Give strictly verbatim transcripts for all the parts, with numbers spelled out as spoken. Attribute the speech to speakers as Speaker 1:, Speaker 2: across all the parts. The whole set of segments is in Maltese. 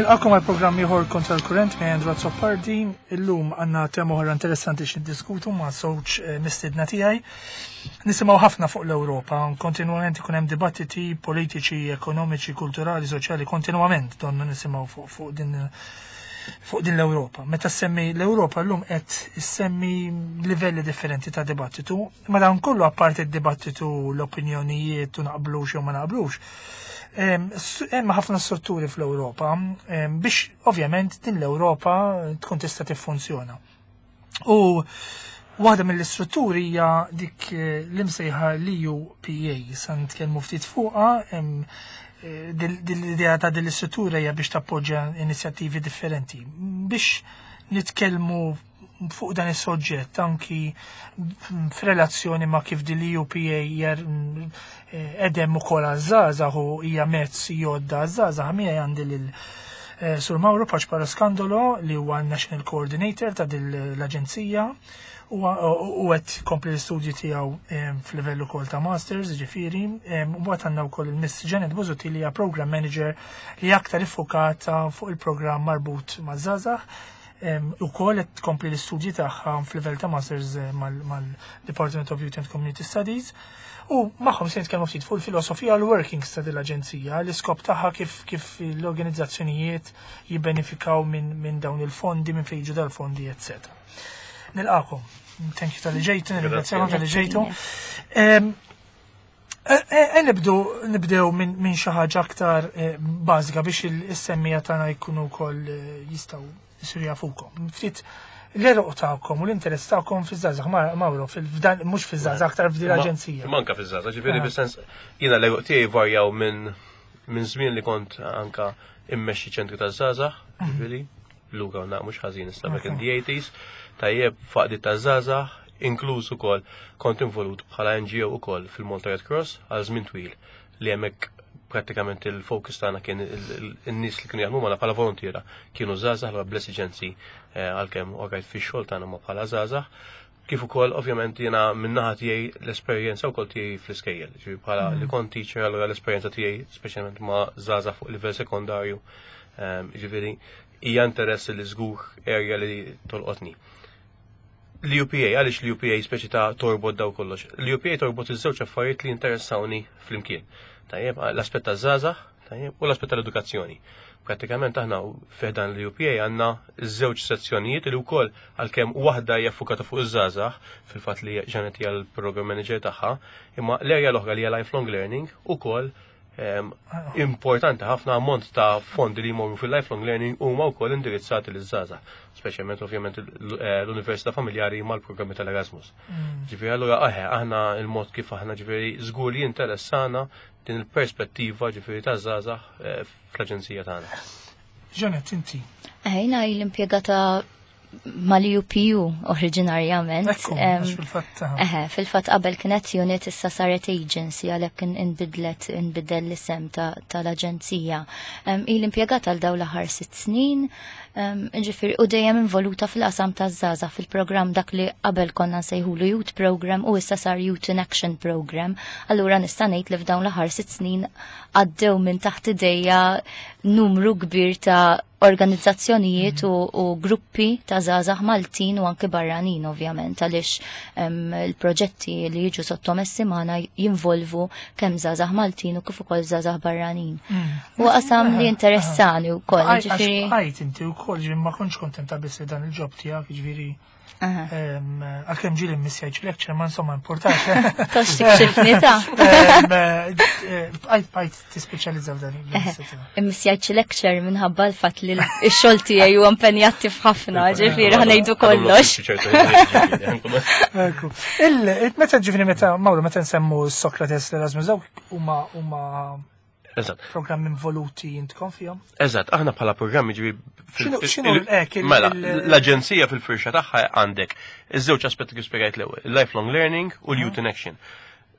Speaker 1: Nilqagħkom għal programm ieħor Kontra l-Kurrent minn Andrew Azzopardi. Illum għandna tema oħra interessanti x'niddiskutu ma' żewġ eh, mistiedna tiegħi. Nisimgħu ħafna fuq l-Ewropa, kontinwament ikun hemm dibattiti politiċi, ekonomiċi, kulturali, soċjali, kontinwament donna nisimgħu fuq fuq din fuq din l-Ewropa. Meta semmi l-Ewropa llum qed issemmi livelli differenti ta' dibattitu, ma dan kollu apparti d-dibattitu, l-opinjonijiet u naqblux jew ma naqblux. Hemm ħafna strutturi fl-Ewropa biex ovvjament din l-Ewropa tkun tista' tiffunzjona. U waħda mill-istrutturi hija dik eh, l-imsejħa l-E U P A, sa nitkellmu ftit fuqha. eh, L-idea ta' din l-istruttura hija biex tappoġġja inizjattivi differenti. Biex nitkellmu fuq dan is-soġġett anki f'relazzjoni ma' kif din l-E U P A jer edem ukoll għaż-żgħażagħ u hija mezz jodda għaż-żgħażagħ, miegħi għandi lil eh, Sur Mauro Paċpara Skandolo, li huwa National Coordinator ta' din l-aġenzija u u qed kompli l-istudji tiegħu em, f'livell ukoll ta' Masters, ġifieri, em, u mbagħad għandna wkoll il-Miss Janet Busuttil, li hija Program Manager li aktar iffokata fuq il-programm marbut maż-żgħażagħ. U kol qed tkompli l-istudji tagħha f'livell ta' Masters eh, mal-Department of Youth and Community Studies. U magħhom se nitkellmu ftit fuq il-filosofija, l-workings ta' din l-aġenzija, l-iskop tagħha, kif kif l-organizzazzjonijiet jibbenefikaw minn min dawn il-fondi, minn fejn jiġu dal-fondi, eċċetera. Nilqagħkom. Thank you talli ġejtu, nirringrazzjakom talli ġejtu. Em, E, e, nibdu nibdew minn min xi ħaġa aktar eh, bażika biex is-semmiegħa tagħna jkunu wkoll eh, jistgħu jsiru jafukom. Ftit l-għeruq tagħkom u l-interess tagħkom fiż-żgħażagħ, Mauro, fil-fdan, mhux fiż-żgħażagħ, aktar f'din l-aġenzija.
Speaker 2: Manka fiż-żgħażagħ, ġifieri
Speaker 1: Ah.
Speaker 2: fis-sens jiena l-għeruq tiegħi varjaw minn minn żmien li kont anka immexxi ċentri taż-żgħażagħ, ġifieri lura u mhux ħażin issa, back in the eighties, tajjeb, f'għaqdiet taż-żgħażagħ, inkluż ukoll kont involut bħala N G O ukoll fil-Malta Red Cross għal żmien twil, li hemmhekk prattikament il-focus tagħna kien il-nies li kienu jaħdmu magħna bħala volontiera kienu żgħażagħ, l bl-esiġenzi eh, għalkemm orajt fix-xogħol tagħna ma bħala żgħażagħ. Kif ukoll ovvjament jiena min-naħa tiegħi l-esperjenza wkoll tiegħi fl-iskejjel, ġifieri bħala li kont teacher, allura l-esperjenza tiegħi speċjalment ma' żgħażagħ fuq livell sekondarju, ehm, ġifieri hija interess li żgur area li tolqotni. L-E U P A, għaliex l-E U P A speċi ta' torbot daw kollox? L-E U P A torbot iż-żewġ affarijiet li interessawni flimkien. Tajjeb, l-aspett taż-żgħażagħ, tajjeb, u l-aspett tal-edukazzjoni. Pratikament aħna fi ħdan l-E U P A għandna iż-żewġ sezzjonijiet li wkoll, għalkemm waħda hija ffukata fuq iż-żgħażagħ, fil-fatt li Janet hija l-program manager tagħha, imma l-area l-oħra li hija lifelong learning ukoll em, importanti ħafna. Ammont ta' fondi li jmorru fil-lifelong learning huma wkoll indirizzati liż-żgħażagħ, speċjalment ovvjament l- eh, l-Università Familjari mal-programmi tal-Erasmus. Ġifieri allura aħe aħna il-mod kif aħna, ġifieri żgur li interessana din il-perspettiva ġifieri taż-żgħażagħ eh, fl-aġenzija tagħna.
Speaker 1: Janet, inti.
Speaker 3: Jiena l-impjegata mal-U P U oriġinarjament.
Speaker 1: Ekku,
Speaker 3: Em,
Speaker 1: għax fil-fatt.
Speaker 3: Eħe, fil-fatt qabel kienet unit, issa saret agency, għalhekk kien inbidlet inbidel l-isem ta- tal-aġenzija. Um, l-impjegata għal dawn l-aħħar sitt snin, um, ġifieri u dejjem involuta fil-qasam taż-żgħażagħ, fil-programm dak li qabel konna nsejħulu Youth Program u issa sar Youth in Action Program. Allura nista' ngħid li f'dawn l-aħħar sitt snin għaddew minn taħt idejja numru kbir ta' organizzazzjonijiet u, u gruppi ta' żgħażagħ Maltin u anke barranin ovvjament, għaliex em, il-proġetti li jiġu sottomessi magħna jinvolvu kemm żgħażagħ Maltin u kif ukoll żgħażagħ barranin. U qasam li interessani wkoll, ġifieri.
Speaker 1: Għajt inti wkoll, ġifieri ma kontx kontenta biss li dan il-job tiegħek, ġifieri
Speaker 3: Aha.
Speaker 1: em, għalkemm ġieli mmissjajt lecture, ma insomma importanti.
Speaker 3: Tox tikxifni ta'
Speaker 1: Em, eh, Bqajt bqajt tispeċjalizza f'dan l-inizjattiva.
Speaker 3: Immissjajt lecture minħabba l-fatt li x-xogħol tiegħi huwa impenjattiv ħafna, ġifieri ħa ngħidu kollox.
Speaker 1: Ekku. Il- Meta ġifieri meta Mauro, meta nsemmu Socrates, l-Erasmus, dawk huma huma
Speaker 2: Eżatt.
Speaker 1: programmi involuti intkom fihom?
Speaker 2: Eżatt, aħna bħala programmi ġifieri
Speaker 1: X'inhu- x'inhu l- ek, il-
Speaker 2: Mela,
Speaker 1: il-
Speaker 2: l-aġenzija fil-firxa tagħha għandek iż-żewġ aspetti kif spjegajt l-ewwel, il-lifelong learning u l-youth in action.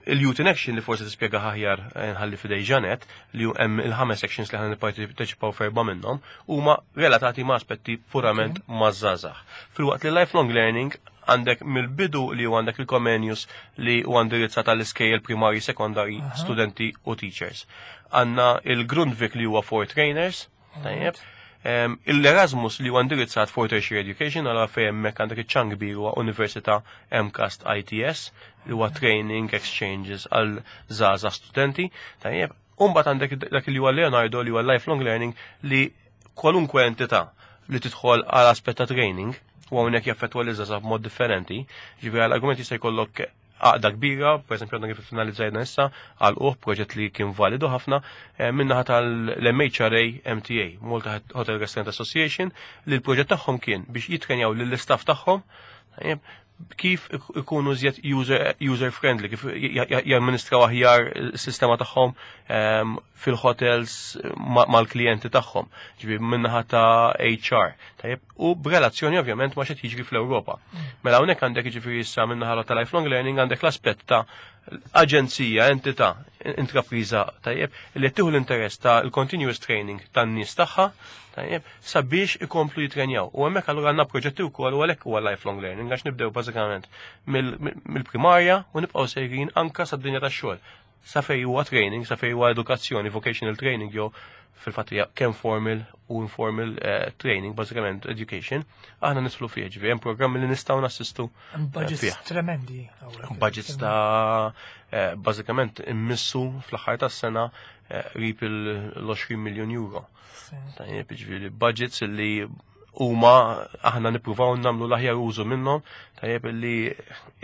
Speaker 2: Il-youth in action li forsi tispjega aħjar, eh, nħalli f'idej Janet, li hemm il-ħames actions li ħana nipparteċipaw f'erba' minnhom huma relatati ma' aspetti purament ma' żgħażagħ. Filwaqt li lifelong learning għandek mill-bidu li hu għandek il-Comenius li huwa indirizzat għall-iskejjel primari, sekondari, studenti u teachers. Għandna il-Grundtvig li huwa for trainers, tajjeb. L-Erasmus li huwa indirizzat for tertiary education, għala fejn hemmhekk għandek iċ-ċan kbir huwa Università M CAST I T S li huwa training exchanges għal żgħażagħ studenti. Tajjeb, imbagħad għandek dak li huwa Leonardo, li huwa lifelong learning, li kwalunkwe entità li tidħol għal aspett ta' training u hawnhekk jaffettwa li żgħażagħ b'mod differenti. Ġifieri għal argument jista' jkollok għaqda kbira, per esempio għandna kif finalizzajna issa għal uħ proġett li kien validu ħafna eh, minnaħa tal-M H R A M T A, Malta Hotel Restaurant Association, li l-proġett tagħhom kien biex jitrenjaw lill-istaff tagħhom, tajjeb, kif ikunu żjed user, user friendly, kif jamministraw aħjar is-sistema tagħhom ehm, fil-hotels mal-klijenti tagħhom, ġifieri minnaħa ta' H R. Tajjeb, u b'relazzjoni ovvjament ma' x'qed jiġri fl-Ewropa. Mela hawnhekk għandek, jiġifieri, issa minnaħa ta' lifelong learning għandek l-aspett ta' aġenzija, entità, intrapriża, tajjeb, li qed tieħu l-interess ta' l-continuous training tan-nies tagħha, tajjeb, sabiex ikomplu jitrenjaw. U hemmhekk allura għandna proġetti wkoll, u għalhekk huwa lifelong learning, għax nibdew bażikament mill-primarja u nibqgħu sejrin anka sad-dinja tax-xogħol. Sa fej huwa training, sa fej huwa edukazzjoni, vocational training, jew fil-fatt hija kemm formal u informal uh, training, bażikament education, aħna nidħlu fih, ġifieri hemm programmi li nistgħu nassistu.
Speaker 1: Budgets
Speaker 2: fih.
Speaker 1: Tremendi.
Speaker 2: Budgets ta' eh, bażikament immissu fl-aħħar tas-sena qrib il-għoxrin miljon euro. Tajjeb, ġifieri budgets li huma aħna nippruvaw nagħmlu l-aħjar użu minnhom, tajjeb, li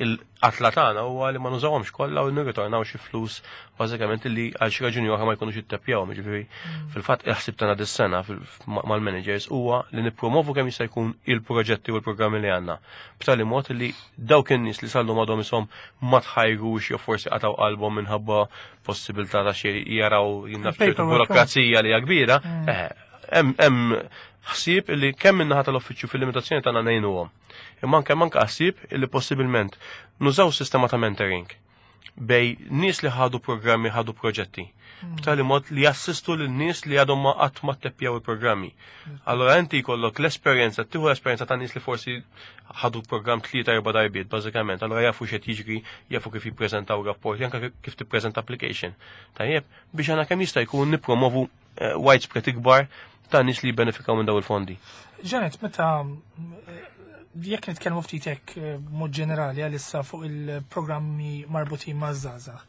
Speaker 2: il-qatla tagħna huwa li ma nużawhomx kollha u nirritornaw xi flus bażikament li għal xi raġuni oħra ma jkunux ittepjaw, ġifieri fil-fatt il-ħsieb tagħna dis-sena mal-managers huwa li nippromovu kemm jista' jkun il-proġetti u l-programmi li għandna. B'tali mod li dawk in-nies li sallu madhom ishom ma tħajrux jew forsi qataw qalbhom minħabba possibilità ta' xi jaraw jinnaf ċertu burokrazija li hija kbira, eh, hemm ħsieb li kemm minnaħa tal-uffiċċju fil-limitazzjoni tagħna ngħinuhom. Imma anke manka ħsieb li possibilment nużaw sistema ta' mentoring bejn nies li ħadu programmi, ħadu proġetti, b'tali mod li jassistu lil nies li għadhom ma qatt ma tteppjaw il-programmi. Allora inti jkollok l-esperjenza, tieħu l-esperjenza ta' nies li forsi ħadu programm tlieta, erba' darbiet bażikament, allora jafu x'qed jiġri, jafu kif jippreżentaw rapporti, anke kif tippreżenta application. Tajjeb, biex għana kemm jista' jkun nippromovu eh, widespread ikbar ta' nies li jibbenefikaw minn daw il-fondi.
Speaker 1: Janet, meta jekk nitkellmu ftit hekk eh, mod ġenerali għalissa fuq il-programmi marbutin ma' żgħażagħ.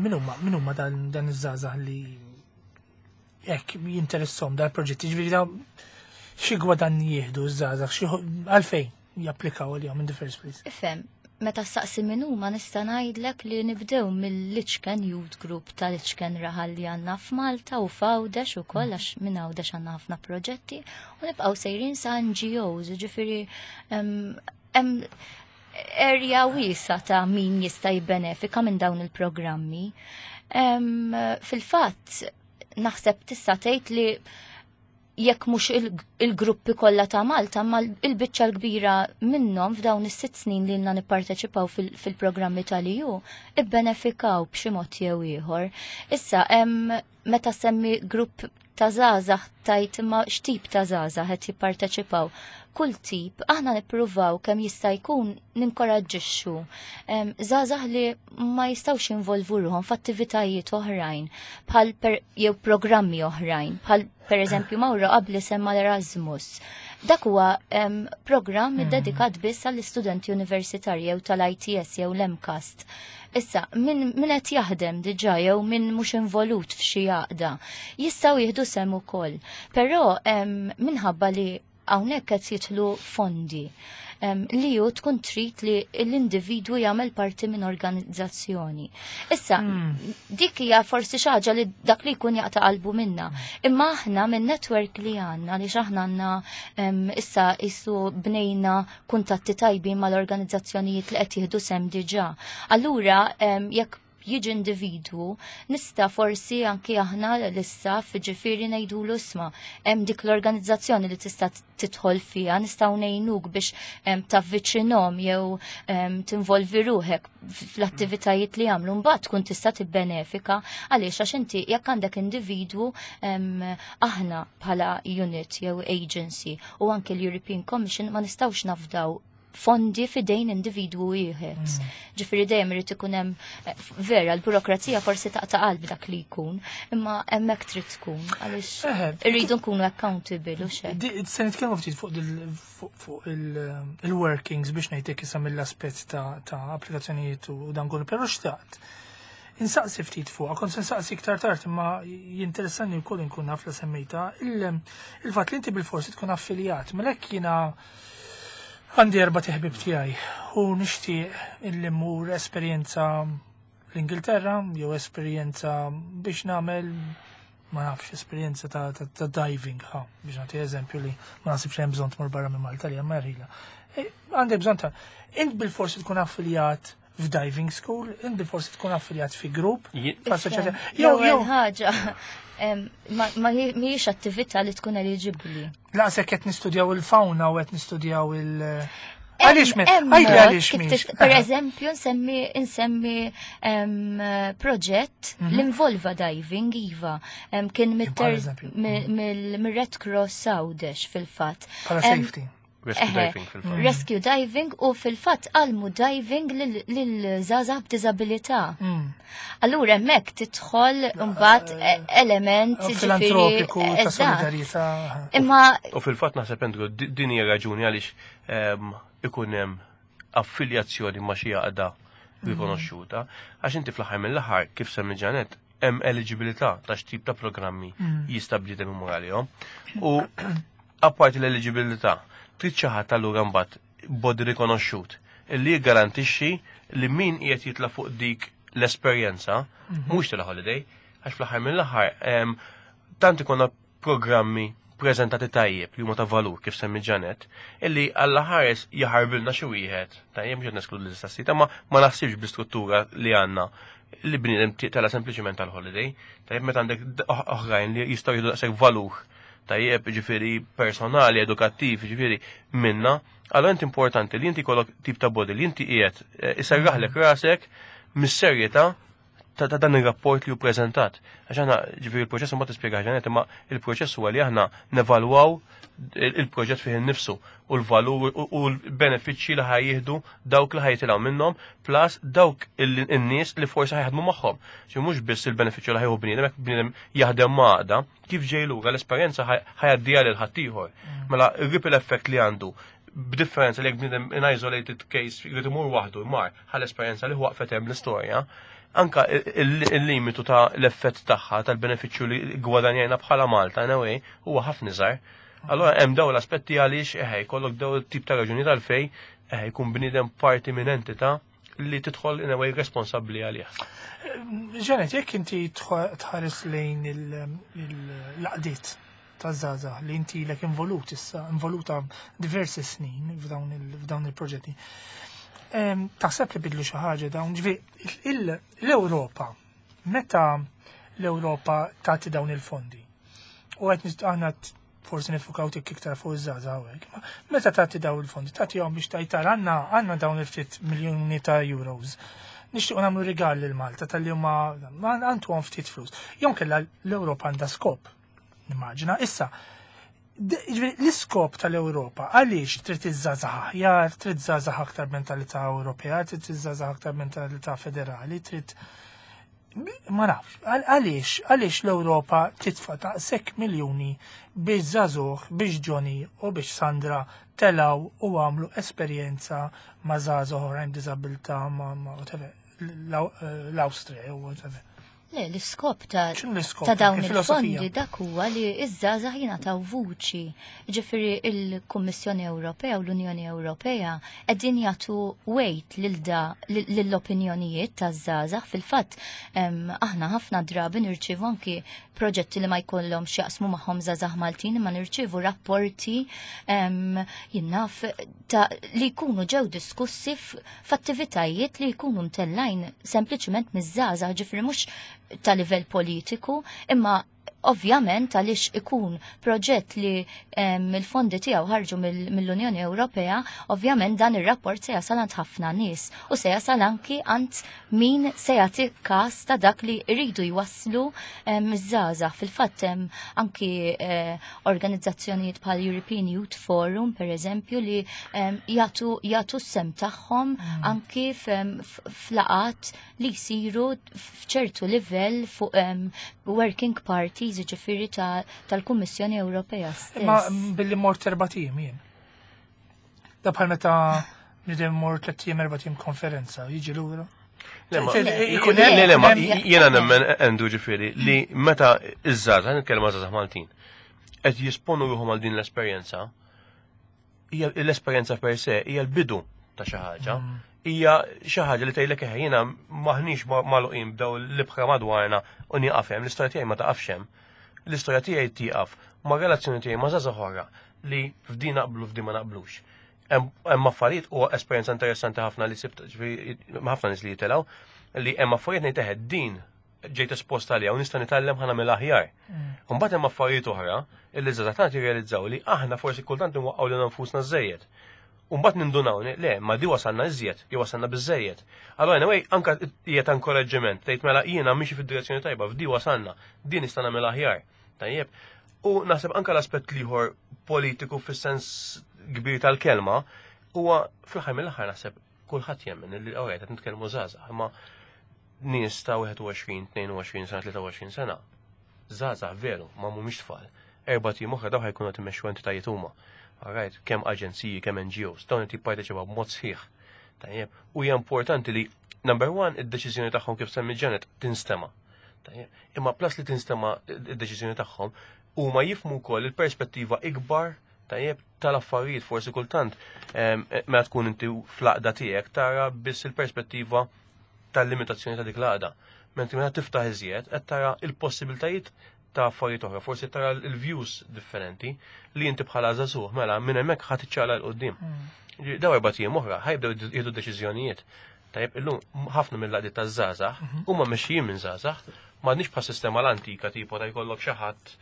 Speaker 1: Min huma min huma dan dan iż-żgħażagħ li hekk jinteressom dal-proġetti? Ġifieri da xi gwadan jieħdu ż-żgħażagħ, xi għalfejn japplikaw għalihom in the first place?
Speaker 3: Ifhem, meta saqsi min huma, nista' ngħidlek li nibdew mill-Iċken Youth Group tal-Iċken raħal li għandna f'Malta u f'Għawdex ukoll, għax minn Għawdex għandna ħafna proġetti, u nibqgħu sejrin sa N G Os, ġifieri hemm area wiesa ta' min jista' jibbenefika minn dawn il-programmi. Fil-fatt, naħseb tista' tgħid li jekk mhux il-gruppi kollha ta' Malta, ma il-biċċa l-kbira minnhom f'dawn is-sitt snin li lna nipparteċipaw fil-programmi tal-E U ibbenefikaw b'xi mod jew ieħor. Issa hemm meta semmi grupp ta' żgħażagħ, tajt imma x'tip ta' żgħażagħ qed jipparteċipaw? Kull tip, aħna nippruvaw kemm jista' jkun ninkoraġġixxu żgħażagħ li ma jistgħux jinvolvu ruhom f'attivitajiet oħrajn bħal jew programmi oħrajn, bħal per eżempju Mawra qabli semma l-Erasmus. Dak huwa programm mm. dedikat biss għall-istudenti universitarji jew tal-I T S jew l-M CAST. Issa, min, min qed jaħdem diġà jew min mhux involut f'xi għaqda jistgħu jieħdu sem ukoll. Però minħabba li hawnhekk qed jidħlu fondi li ju tkun trid li l-individwu jagħmel parti minn organizzazzjoni. Issa, hmm. dik hija forsi xi ħaġa li dak li jkun jaqta' qalbu minna. Imma aħna minn network li għandna, li aħna għandna issa isu bnejna kuntatti tajbin mal-organizzazzjonijiet li qed jieħdu sem diġà. Allura jekk jiġi individwu, nista' forsi anki aħna l-istaff, ġifieri, ngħidulu, "Isma', hemm dik l-organizzazzjoni li tista' tidħol fiha, nistgħu ngħinuk biex tavviċinhom jew tinvolvi ruħek fl-attivitajiet li jagħmlu, mbagħad tkun tista' tibbenefika." Għaliex? Għax inti jekk għandek individwu, aħna bħala unit jew agency u anke l-European Commission ma nistgħux nafdaw fondi f'idejn individwu wieħed.
Speaker 1: Mm.
Speaker 3: Ġifieri dejjem irid ikun hemm eh, vera l-burokrazija forsi taqta' qalb dak li jkun, imma hemmhekk trid tkun għaliex
Speaker 1: Eħe.
Speaker 3: irridu nkunu accountable u xejn.
Speaker 1: Di- Se nitkellmu ftit fuq dil- fuq fuq il- il-workings biex ngħidlek issa mill-aspett ta' ta' applikazzjonijiet u dan kollu, però xtaqt. Insaqsi ftit fuq, kont se nsaqsi iktar tard imma jinteressani wkoll inkun naf la semmejta il- il-fatt li inti bil-forsi tkun affiljat, mela hekk jiena għandi erba' ħbieb tiegħi u nixtieq illi mmur esperjenza l-Ingilterra jew esperjenza biex nagħmel ma nafx esperjenza ta', ta, ta diving, ha, biex nagħti eżempju li ma naħsibx hemm bżonn tmur barra minn Malta li hemm rila. E, Għandek bżonn ta' int bil-forsi tkun affiljat f'diving school, int bil-forsi tkun affiljat fi grupp,
Speaker 2: Ji-
Speaker 1: f'assoċjazzjoni. Jew
Speaker 3: L-ewwel
Speaker 1: jew
Speaker 3: ħaġa em, ma ma hi- mhijiex attività li tkun eliġibbli.
Speaker 1: laqsek qed nistudjaw il-fauna u qed nistudjaw il- Għaliex min?
Speaker 3: Hemm
Speaker 1: Għajli
Speaker 3: mod
Speaker 1: għaliex
Speaker 3: kif
Speaker 1: mhix.
Speaker 3: tista' Per eżempju, nsemmi nsemmi em, proġett li involva diving iva. Em, Kien mit-ter-
Speaker 1: Bħal eżempju.
Speaker 3: mi- mill- mir-Red Cross Għawdex fil-fatt.
Speaker 1: Bħala
Speaker 3: Em,
Speaker 1: safety.
Speaker 2: Rescue
Speaker 3: Eħe,
Speaker 2: diving fil-fatt.
Speaker 3: Rescue diving u fil-fatt għallmu diving lil żgħażagħ b'diżabilità.
Speaker 1: Mm.
Speaker 3: Allura hemmhekk tidħol mbagħad e- element ġifieri,
Speaker 1: Filantropiku ta'
Speaker 3: eżatt.
Speaker 1: solidarjetà.
Speaker 3: Imma
Speaker 2: U fil-fatt naħseb Andrew, di- din hija raġuni għaliex ehm, ikun hemm affiljazzjoni ma' xi għaqda rikonoxxuta, għax inti fl-aħħar mill-aħħar kif semmi Janet hemm eligibilità ta' x'tip ta' programmi jista' bniedem imur għalihom. U apparti l-eligibilità, trid xi ħadd allura mbagħad body rikonoxxut illi jiggarantixxi li min qiegħed jitla' fuq dik l-esperjenza mhux tal holiday, għax fl-aħħar mill-aħħar em, tant ikonna programmi prezentati tajjeb li huma ta' valur kif semmi Janet, illi alla ħares jaħarbilna xi wieħed, tajjeb mhux qed neskludu l-istess ma ma naħsibx bl-istruttura li għandna li bniedem tela sempliċement tal-holiday, tajjeb meta għandek d- oħ- oħrajn li jistgħu jieħdu daqshekk valur tajjeb ġifieri personali, edukattiv, ġifieri minna, allora inti importanti li inti jkollok tip ta' body li inti qiegħed eh, iserraħlek rasek mis-serjetà ta' ta' dan ir-rapport li hu preżentat. Għax aħna ġifieri il-proċess ma tispjega Janet, imma il-proċess huwa li aħna nevalwaw il- il-proġett fih innifsu u l-valur u u l-benefiċċji li ħa jieħdu dawk li ħa jitilgħu minnhom plus dawk il- in-nies li forsi ħa jaħdmu magħhom. Xi mhux biss il-benefiċċju li ħa jieħu bniedem, jekk bniedem jaħdem ma' għaqda, kif ġej lura l-esperjenza ħa jgħaddiha lil ħaddieħor. Mela ir-ripple effect li għandu b'differenza li jekk bniedem in isolated case jrid imur waħdu jmar ħa l-esperjenza li waqfet hemm l-istorja, anka il- il-limitu ta' l-effett tagħha tal-benefiċċju li gwadanjajna bħala Malta in a way huwa ħafna iżgħar. Allora hemm dawn l-aspetti għaliex eħe jkollok daw il-tip ta' raġuni tal-fej eħe jkun bniedem parti minn entità li tidħol in a way responsabbli għalih.
Speaker 1: Janet, jekk inti tħ- tħares lejn il-għaqdiet ta' żgħażagħ li inti lek involut issa, involuta diversi snin f'dawn il- f'dawn il-proġetti. Em, Taħseb li bidlu xi ħaġa dawn, ġifieri il- l-Ewropa, meta l-Ewropa tagħti dawn il-fondi? U qed nist- aħna t- forsi nifukaw tik iktar fuq iż-żgħażagħ hawnhekk. ma Meta tagħti dawn il-fondi, tagħtihom biex tajtar għandna għandna dawn il-ftit miljuni ta' euros. Nixtiequ nagħmlu rigal lil Malta tal-li huma ma għandu ftit flus. Jew kellha l-Ewropa għandha skop. Nimmaġina. Issa, d- ġifieri, l-iskop tal-Ewropa għaliex trid iżżagħżagħ aħjar, trid żgħażagħ aktar mentalità Ewropea, trid iżżagħżagħ aktar mentalità federali, trid ma nafx, għal- għaliex, għaliex l-Ewropa titfa daqshekk miljuni biex żagħżugħ, biex Johnny u biex Sandra telaw u għamlu esperjenza ma' żgħażagħ oħrajn b'diżabilità ma' ma' whatever, l-Awstrija u whatever.
Speaker 3: Le, l-iskop ta'
Speaker 1: X'inhu l-iskop?
Speaker 3: ta' dawn
Speaker 1: Il-filosofija?
Speaker 3: il-fondi dak huwa li iż-żgħażagħ jingħataw vuċi. Ġifieri il-Kummissjoni Ewropea u l-Unjoni Ewropea qegħdin jagħtu weight lil da lill-opinjonijiet taż-żgħażagħ. Fil-fatt em, aħna ħafna drabi nirċievu anki proġetti li ma jkollhom x'jaqsmu magħhom żgħażagħ Maltin imma nirċievu rapporti em, jien naf ta' li jkunu ġew diskussi f- f'attivitajiet li jkunu mtellajn sempliċement miż-żgħażagħ, ġifieri mhux ta' livell politiku, imma Ovvjament għaliex ikun proġett li il-fondi tiegħu ħarġu mill-Unjoni Ewropea, ovvjament dan ir-rapport se jasal għand ħafna nies u se jasal anki għand min se jagħti każ ta' dak li jridu jwasslu iż-żgħażagħ. Fil-fatt hemm anki eh, organizzazzjonijiet bħal European Youth Forum pereżempju li jagħtu jagħtu s-sehem tagħhom mm. anki f'laqgħat li jsiru f'ċertu livell fuq working parties, ġifieri tal-Kummissjoni Ewropea stess.
Speaker 1: Ma billi mort erbat ijiem jien. Da bħal meta nidem mort tlett ijiem, erbat ijiem konferenza, jiġi lura.
Speaker 2: Le, le, ma jiena nemmen, Andrew, ġifieri, li meta iż-żgħażagħ, nitkellem żgħażagħ Maltin, qed jisponu ruħhom għal din l-esperjenza, l-esperjenza per se hija l-bidu ta' xi ħaġa. Mm. Hija xi ħaġa li tgħidlek eħe, jiena maħniex magħluqin b'daw l-ibħra madwarna u nieqaf hemm, l-istorja tiegħi ma taqafx hemm. L-istorja tiegħi tieqaf ma' relazzjoni tiegħi ma' żgħażagħ oħra li f'din naqblu, f'din ma naqblux. Hemm affarijiet u esperjenza interessanti ħafna li sibt ħafna nies li jitilgħu li hemm affarijiet ngħid eħe, din ġejt esposta għalija u nista' nitgħallem, ħa nagħmel aħjar. Mm. Mbagħad hemm affarijiet oħra illi żgħażagħ tagħna jirrealizzaw li aħna forsi kultant nwaqqgħu lil nfusna żejjed. Mbagħad nindunaw le, ma di wasalna iżjed, jew wasalna biżejjed. Allora anyway, anka hija ta' inkoraġġiment, tgħid mela jiena miexi fid-direzzjoni tajba, f'di wasalna, din nista' nagħmel aħjar. Tajjeb. U naħseb anka l-aspett l-ieħor politiku fis-sens kbir tal-kelma huwa fl-aħħar mill-aħħar naħseb kulħadd jemmen li alright, qed nitkellmu żgħażagħ, imma nies ta' wieħed u għoxrin, tnejn u għoxrin sena, tlieta u għoxrin sena. Żgħażagħ veru, ma mhumiex tfal. Erbat ijiem oħra daw ħa jkunu qed imexxu entitajiet huma. Alright, kemm aġenziji, kemm N G Os, dawn qed jipparteċipaw b'mod sħiħ. Tajjeb, u hija importanti li number one, id-deċiżjoni tagħhom, kif semmi Janet, tinstema'. Tajjeb, imma plus li tinstema' id-deċiżjoni tagħhom, huma jifhmu wkoll il-perspettiva ikbar, tajjeb, tal-affarijiet. Forsi kultant meta tkun inti fl-għaqda tiegħek tara biss il-perspettiva tal-limitazzjoni ta' dik l-għaqda. Mentri meta tiftaħ iżjed qed tara il-possibiltajiet ta' affarijiet oħra, forsi tara il-views differenti li inti bħala żagħżugħ mela minn hemmhekk ħadd iċċaqlaq 'l quddiem. Mm. Daw erbat ijiem oħra ħa jibdew jieħdu deċiżjonijiet. Tajjeb, illum ħafna mill-għaqdiet taż-żgħażagħ mhm. huma mexxijin minn żgħażagħ, m'għadniex bħal sistema l-antika tipo ta' jkollok xi ħadd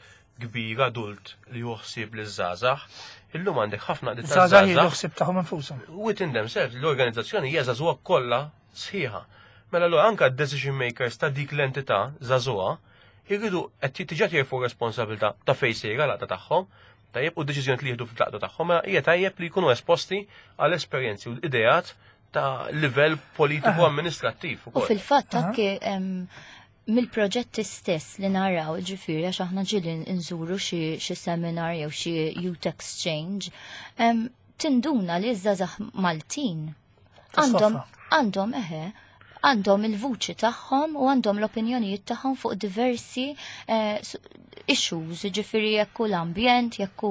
Speaker 2: kbir adult li juħsib li żgħażagħ. Illum għandek ħafna għaqdiet
Speaker 1: taż-żgħażagħ jieħdu tagħhom infushom.
Speaker 2: Within themselves, l-organizzazzjoni hija żagħżugħa kollha sħiħa. Mela l anka decision makers ta' dik l-entità żagħżugħa jridu qed diġà jerfgħu responsabilità ta' fejn sejra l tagħhom, tajjeb, u deċiżjoni li jieħdu fil-laqda tagħhom, mela hija tajjeb li jkunu esposti għal esperjenzi u ideat ta' livell politiku amministrattiv.
Speaker 3: U fil-fatt anke mill-proġetti stess li naraw, ġifieri għax aħna ġieli nżuru xi seminar jew xi youth exchange, tinduna li ż-żgħażagħ Maltin għandhom għandhom eħe għandhom il-vuċi tagħhom u għandhom l-opinjonijiet tagħhom fuq diversi eh, issues, ġifieri jekk l-ambjent, jekk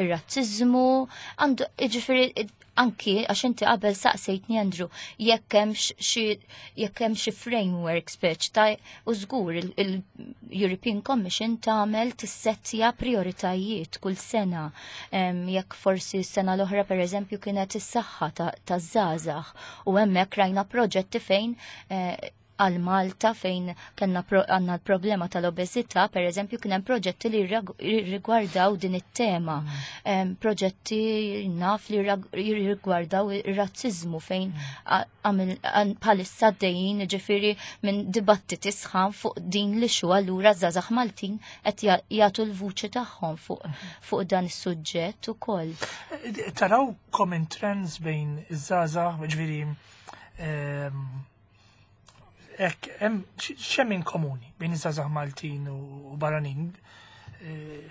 Speaker 3: ir-razzizmu, għandu ġifieri anki għax inti qabel saqsejtni, Andrew, jekk hemm xi jekk hemm xi framework speċ ta' u żgur il-European Commission tagħmel tissettja prioritajiet kull sena. Jekk forsi s-sena l-oħra, pereżempju, kienet is-saħħa taż-żgħażagħ u hemmhekk rajna proġetti fejn eh, għal Malta fejn kellna għandna l-problema tal-obeżità, per eżempju, kien hemm proġetti li rigwardaw din it-tema. Mm. Proġetti naf li jirrigwardaw ir-razzizmu fejn mm. bħalissa għaddejjin ġifieri minn dibattiti sħan fuq din li xu allura żgħażagħ Maltin qed jagħtu l-vuċi tagħhom fuq mm. dan is-suġġett ukoll.
Speaker 1: Taraw common trends bejn iż-żgħażagħ, ġifieri ek, hemm x'hemm in komuni bejn iż-żgħażagħ Maltin u barranin? Eh,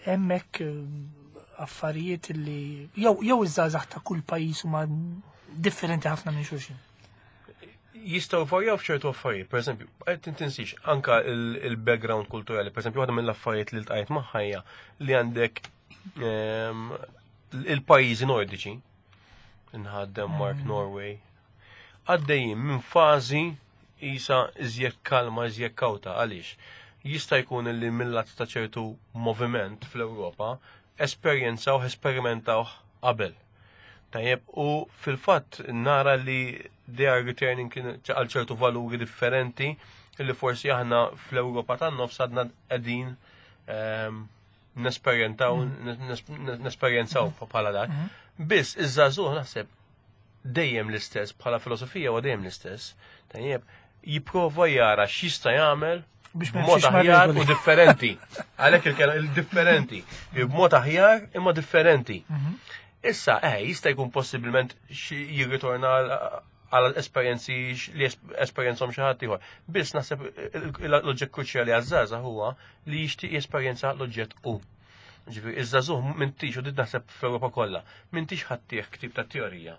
Speaker 1: hemmhekk eh, affarijiet li jew jew iż-żgħażagħ ta' kull pajjiż huma differenti ħafna minn xulxin?
Speaker 2: Jistgħu varjaw f'ċertu affarijiet, per eżempju, qed tinsix anka il-background kulturali, per eżempju, waħda mill-affarijiet li ltqajt magħha hija li għandek ehm, il-pajjiżi nordiċi, inħad Denmark, mm. Norway, għaddejjin minn fażi isa iżjed kalma, iżjed kawta, għaliex? Jista' jkun li mill-lat ta' ċertu moviment fl-Ewropa esperjenzaw, esperimentaw qabel. Tajjeb, u fil-fatt nara li they are returning għal ċertu valuri differenti. Illi forsi aħna fl-Ewropa tan-nofs għadna qegħdin ehm, nesperjentaw nesperjenzaw bħala dak. Biss iż-żagħżugħ naħseb dejjem l-istess bħala filosofija u dejjem l-istess. Tajjeb, jipprova jara x'jista' jagħmel
Speaker 1: Biex ma
Speaker 2: b'mod
Speaker 1: jimxix
Speaker 2: aħjar
Speaker 1: mar-regoli.
Speaker 2: u differenti. Għalhekk il-kelma il-differenti. B'mod aħjar imma differenti. Issa, eh, jista' jkun possibilment xi jirritorna għal- għal esperjenzi x- li esperjenzhom xi ħadd ieħor. Biss naħseb l-oġġett kruċjali għaż-żgħażagħ huwa li jixtieq jesperjenza l-oġġett hu. Ġifieri, iż-żagħżugħ m'intix u din naħseb fl-Ewropa kollha, m'intix ħa ttih ktieb ta' teorija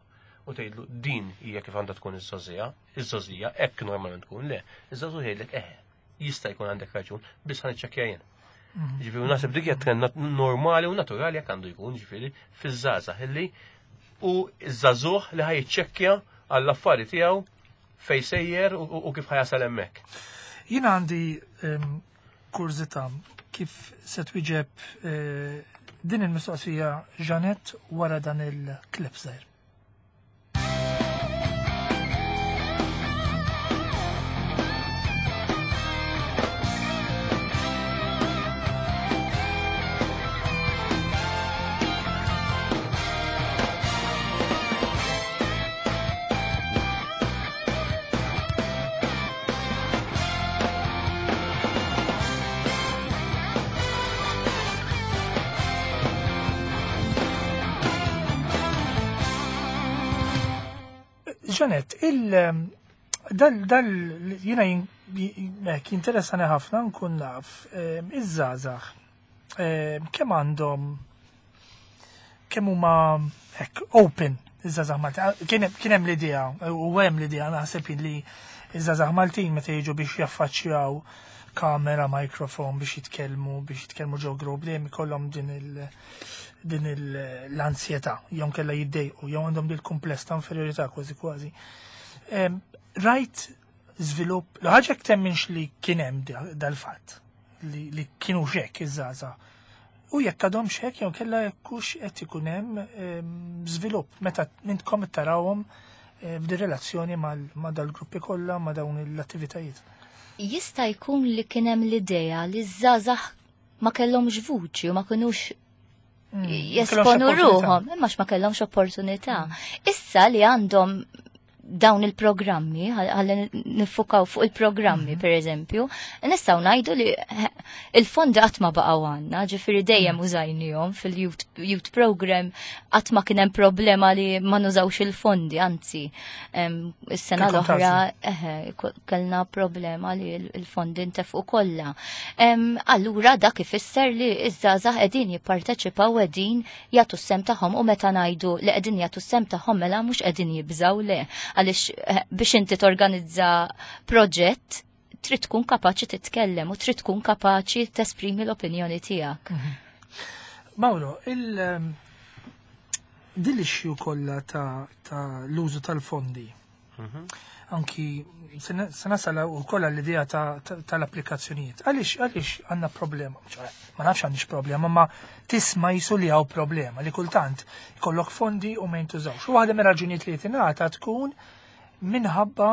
Speaker 2: u tgħidlu din hija kif għandha tkun iż-żgħożija, iż-żgħożija hekk normalment tkun, le. Iż-żagħżugħ jgħidlek eh, jista' jkun għandek raġun, biss ħa niċċekkja jien. Ġifieri naħseb dik hija trend nat- normali u naturali jekk għandu jkun, ġifieri fiż-żgħażagħ illi u ż-żagħżugħ li ħa jiċċekkja għall-affari tiegħu fej sejjer u, u kif ħa jasal hemmhekk.
Speaker 1: Jina għandi em, kurżità kif se twieġeb eh, din il-mistoqsija Janet wara dan il-klip żgħir. Janet, il dal dal jiena jin- hekk jinteressani ħafna nkun naf em, iż-żgħażagħ em, kemm għandhom kemm huma hekk open iż-żgħażagħ Maltin. Kien hemm- kien hemm l-idea u hemm l-idea naħseb li iż-żgħażagħ Maltin meta jiġu biex jaffaċċjaw kamera, mikrofon biex jitkellmu, biex jitkellmu ġo grupp dejjem ikollhom din il- din il- l-ansjetà, jew kella jiddejqu, jew għandhom dil kumpless ta' inferjorità kważi kważi. Em, Rajt żvilupp, l-ħaġa jekk temminx li kien hemm da- dal-fatt, li, li kienu xek iż-żgħażagħ. U jekk għadhom xek jew kella jekkux qed ikun hemm em, żvilupp meta intkom tarawhom eh, f'di relazzjoni mal- ma' dal-gruppi kollha ma' dawn l-attivitajiet.
Speaker 3: Jista' jkun li kien hemm l-idea li ż-żgħażagħ ma kellhomx vuċi u ma kinux
Speaker 1: Mm,
Speaker 3: jesponu ruħhom, imma ma kellhomx opportunità. Issa li għandhom dawn il-programmi, ħalli nifukaw fuq il-programmi per eżempju, nistgħu ngħidu li eh, il-fondi qatt ma baqgħu għandna, ġifieri dejjem użajnihom fil-youth youth program qatt ma kien hemm problema li ma nużawx il-fondi, anzi, em, is-sena
Speaker 1: Kellkom
Speaker 3: l-oħra eħe, ko- kellna problema li l- il-fondi ntefqu kollha. Em, Allura dak ifisser li iż-żgħażagħ qegħdin jipparteċipaw qegħdin jagħtu s-sem tagħhom u meta ngħidu li qegħdin jagħtu s-sem tagħhom mela mhux qegħdin jibżgħu le għaliex eh, biex inti torganizza proġett trid tkun kapaċi titkellem u trid tkun kapaċi tesprimi l-opinjoni tiegħek.
Speaker 1: Mauro, il ehm, din l-issue kollha ta', ta l-użu tal-fondi. Anki se se nasal ukoll l-idea ta- ta- tal-applikazzjonijiet. Għaliex għaliex għandna problema? ċoħe, ma nafx għandix problema, ma tisma' jisu li hawn problema li kultant ikollok fondi u ma jintużawx. U waħda mir-raġunijiet li tingħata tkun minħabba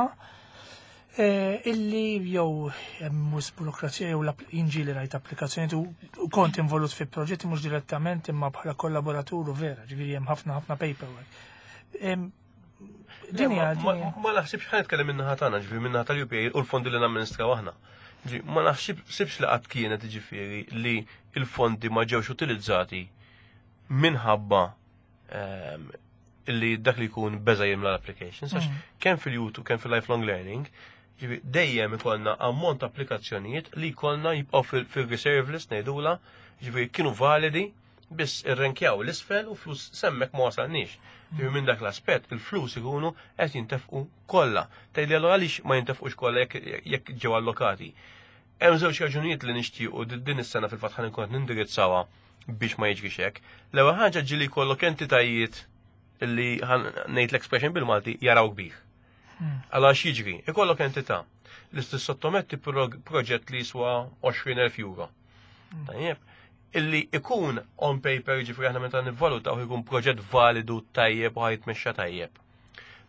Speaker 1: eh, illi jew hemm mhux burokrazija jew l-app- inġi li rajt applikazzjonijiet u u kont involut fi proġetti mhux direttament imma bħala kollaboratur u vera, ġifieri hemm ħafna ħafna paperwork. Em, Din hija
Speaker 2: Ma-
Speaker 1: din hija-
Speaker 2: Ma naħsibx ħa nitkellem minnaħa tagħna, ġifieri minnaħa tal-UPA u l-fondi li namministraw aħna. Ġi, ma naħsibx li qatt kienet ġifieri li l-fondi ma ġewx utilizzati minħabba ehm, li dak li jkun beża jimla l-applications, għax kemm fil-YouTube, kemm fil-lifelong learning, ġifieri dejjem ikollna ammont ta' applikazzjonijiet li jkollna jibqgħu fil- fil-reserve list ngħidula, ġifieri kienu validi biss irrenkjaw l-isfel u flus semmek ma wasalniex. Ġifieri minn dak l-aspett il-flus ikunu qed jintefqu kollha. Tgħidli allura għaliex ma jintefqux kollha jekk jekk ġew allokati. Hemm żewġ raġunijiet li nixtiequ di- din is-sena fil-fatt ħa nkun qed nindirizzawha biex ma jiġrix hekk. L-ewwel ħaġa ġieli jkollok entitajiet li ħan ngħid l-expression bil-Malti jaraw kbir. Għala x'jiġri, ikollok entità li tissottometti prog- proġett li jiswa għoxrin elf euro. Tajjeb, illi ikun on paper ġifri aħna meta nivvalutaw ikun proġett validu tajjeb u ħajtmexxa tajjeb.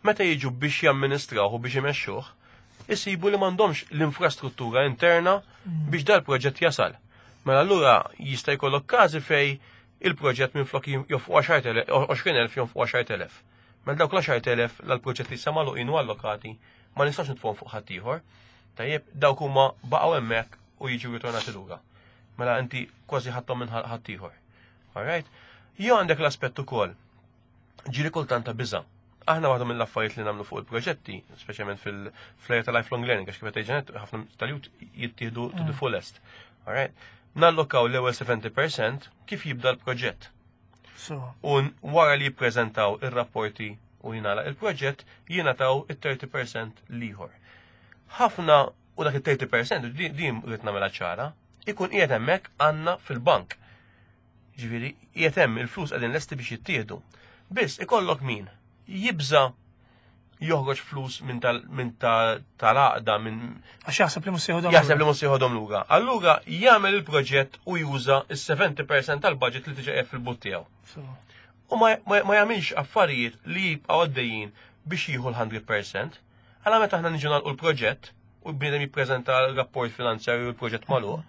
Speaker 2: Meta jiġu biex jamministrawh u biex imexxuh, Isibu li m'għandhomx l-infrastruttura interna biex dal-proġett jasal. Mela allura jista' jkollok każi fej il-proġett minn flok jonfqu għoxrin elf jonfqu għaxart elef. Mela dawk l-għaxart elef l-proġett li samalu inu allokati ma nistax nitfgħu fuq ħaddieħor. Tajjeb, dawk huma baqgħu hemmhekk u jiġu ritornati lura. Mela inti kważi ħadthom minn ħaddieħor. Alright? Jew għandek l-aspett ukoll. Ġieli kultant ta' biża'. Aħna waħda mill-affarijiet li nagħmlu fuq il-proġetti, speċjalment fil-area ta' lifelong learning, għax kif qed Janet, ħafna tal-youth jittieħdu to the fullest. Alright? Nallokaw l-ewwel sebgħin fil-mija kif jibda l-proġett.
Speaker 1: So,
Speaker 2: U wara li jippreżentaw ir-rapporti u jingħalaq il-proġett, jingħataw it-tletin fil-mija l-ieħor. Ħafna u dak it-tletin fil-mija din din rrid nagħmilha ċara, ikun qiegħed hemmhekk għandna fil-bank. Ġifieri qiegħed hemm il-flus qegħdin lesti biex jittieħdu. Biss ikollok min jibża joħroġ flus minn tal minn tal-għaqda minn
Speaker 1: għax jaħseb li mhux se jeħodhom
Speaker 2: jaħseb li mhux se jeħodhom lura. Allura jagħmel il-proġett u juża is-sebgħin fil-mija tal-budget li diġà qiegħed fil-but tiegħu.
Speaker 1: So,
Speaker 2: U ma, ma, ma jagħmilx affarijiet li jibqgħu għaddejjin biex jieħu l-mija fil-mija. Għala meta aħna niġu nagħlqu l-proġett u bniedem jippreżenta l-rapport finanzjarju u l-proġett magħluq,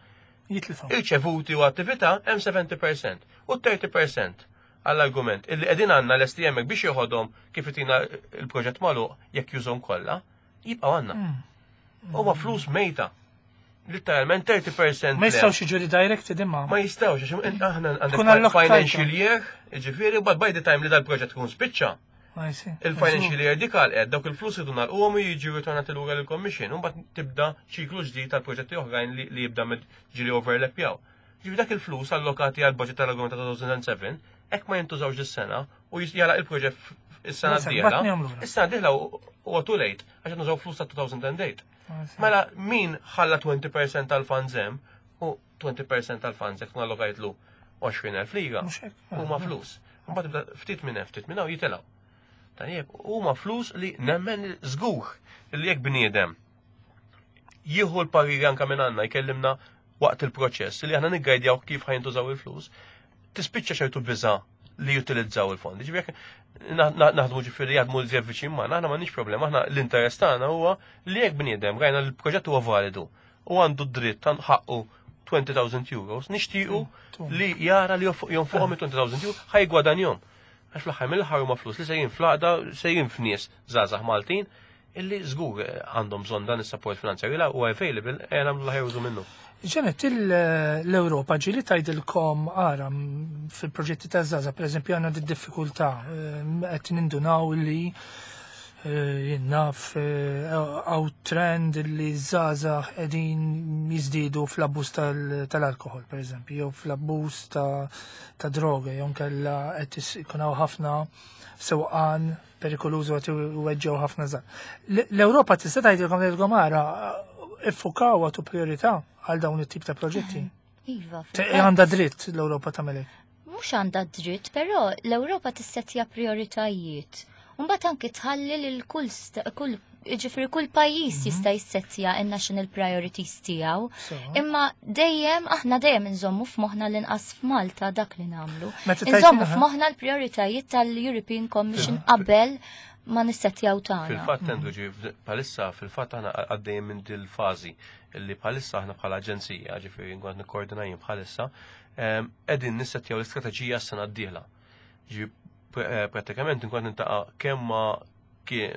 Speaker 1: jitlifhom.
Speaker 2: irċevuti u attività hemm sebgħin fil-mija u tletin fil-mija għall-argument illi qegħdin għandna lesti hemmhekk biex joħodhom kif itina il-proġett magħluq jekk jużhom kollha, jibqgħu għandna. Huma flus mejta. Literalment tletin fil-mija
Speaker 1: Ma jistgħux jiġu redirected imma.
Speaker 2: Ma jistgħux, għax aħna
Speaker 1: Tkun
Speaker 2: għandek
Speaker 1: allokajta.
Speaker 2: financial year, ġifieri, but by the time li dal-proġett ikun spiċċa,
Speaker 1: I see.
Speaker 2: il-financial year dik għalqet, dawk il-flus idu nagħlquhom u jiġu ritornati lura lill-commission, u mbagħad tibda ċiklu ġdid tal-proġetti oħrajn li li jibda med ġili overlapjaw. Ġifieri dak il-flus allokati għal budget tal-argument ta' elfejn u sebgħa, hekk ma jintużawx is-sena u jala il-proġett is-sena
Speaker 1: Mela,
Speaker 2: d-dieħla.
Speaker 1: bat nagħmlu.
Speaker 2: Is-sena d-dieħla huwa too late għax qed nużaw flus ta' elfejn u tmienja.
Speaker 1: I see.
Speaker 2: Mela min ħalla għoxrin fil-mija tal-funds hemm u għoxrin fil-mija tal-funds jekk allokajtlu għoxrin elf lira.
Speaker 1: Mhux hekk.
Speaker 2: Huma flus. Mbagħad tibda ftit minn hemm, ftit minn hawn jitilgħu. Tajjeb, huma flus li nemmen żgur li jekk bniedem jieħu l-pariri anka minn għandna, jkellimna waqt il-proċess li aħna niggajdjaw kif ħa jintużaw il-flus, tispiċċa ċertu biża li jutilizzaw il-fondi. Ġifieri jekk na- na- naħdmu, ġifieri jaħdmu l viċin magħna, aħna m'għandniex problema, aħna l-interess tagħna huwa li jekk bniedem rajna li l-proġett huwa validu u għandu dritt għandu ħaqqu għoxrin elf euros, nixtiequ li jara li jonfuqhom il-għoxrin elf euro ħa jiggwadanjahom. Għax fl-aħħar mill-aħħar huma flus li sejrin fl-għaqda, sejrin f'nies żgħażagħ Maltin illi żgur għandhom bżonn dan is-support finanzjarju la huwa available e nagħmlu l-aħjar użu minnu.
Speaker 1: Janet, l-Europa ġieli tgħidilkom ara m, fil-proġetti ta' żgħażagħ, per eżempju, għandna di diffikultà, qed nindunaw li eh, jien naf hawn trend li żgħażagħ qegħdin jiżdiedu fl-abbuż tal-alkohol, per eżempju, jew fl-abbuż ta' ta' droga, jew nkella qed is- ikun hawn ħafna sewqan perikolużu qed iweġġew ħafna żgħar. L-Ewropa tista' tgħidilkom tgħidilkom ara iffukaw għatu priorità għal dawn it-tip ta' proġetti.
Speaker 3: Iva,
Speaker 1: Te-
Speaker 3: fil-fatt.
Speaker 1: Għandha dritt l-Ewropa tagħmel hekk.
Speaker 3: Mhux għandha dritt, però l-Ewropa tissettja prioritajiet. Mbagħad anki tħalli lil kull sta- kull ġifieri kull pajjiż jista' jissettja in-national priorities tiegħu.
Speaker 1: So.
Speaker 3: Imma dejjem aħna dejjem inżommu f'moħħna l-inqas f'Malta dak li nagħmlu.
Speaker 1: Meta tajt-
Speaker 3: Inżommu
Speaker 1: aha.
Speaker 3: f'moħħna l-prioritajiet tal-European Commission qabel ma nissettjaw tagħna.
Speaker 2: Fil-fatt għandu ġi palissa, fil-fatt aħna għaddejjem minn dil-fażi illi bħalissa aħna bħala aġenzija, ġifieri nkun qed nikkoordina jien bħalissa, em, qegħdin nissettjaw l-istrateġija s-sena d-dieħla. Ġi pr- eh, pratikament nkun qed nintaqa' kemm ma' key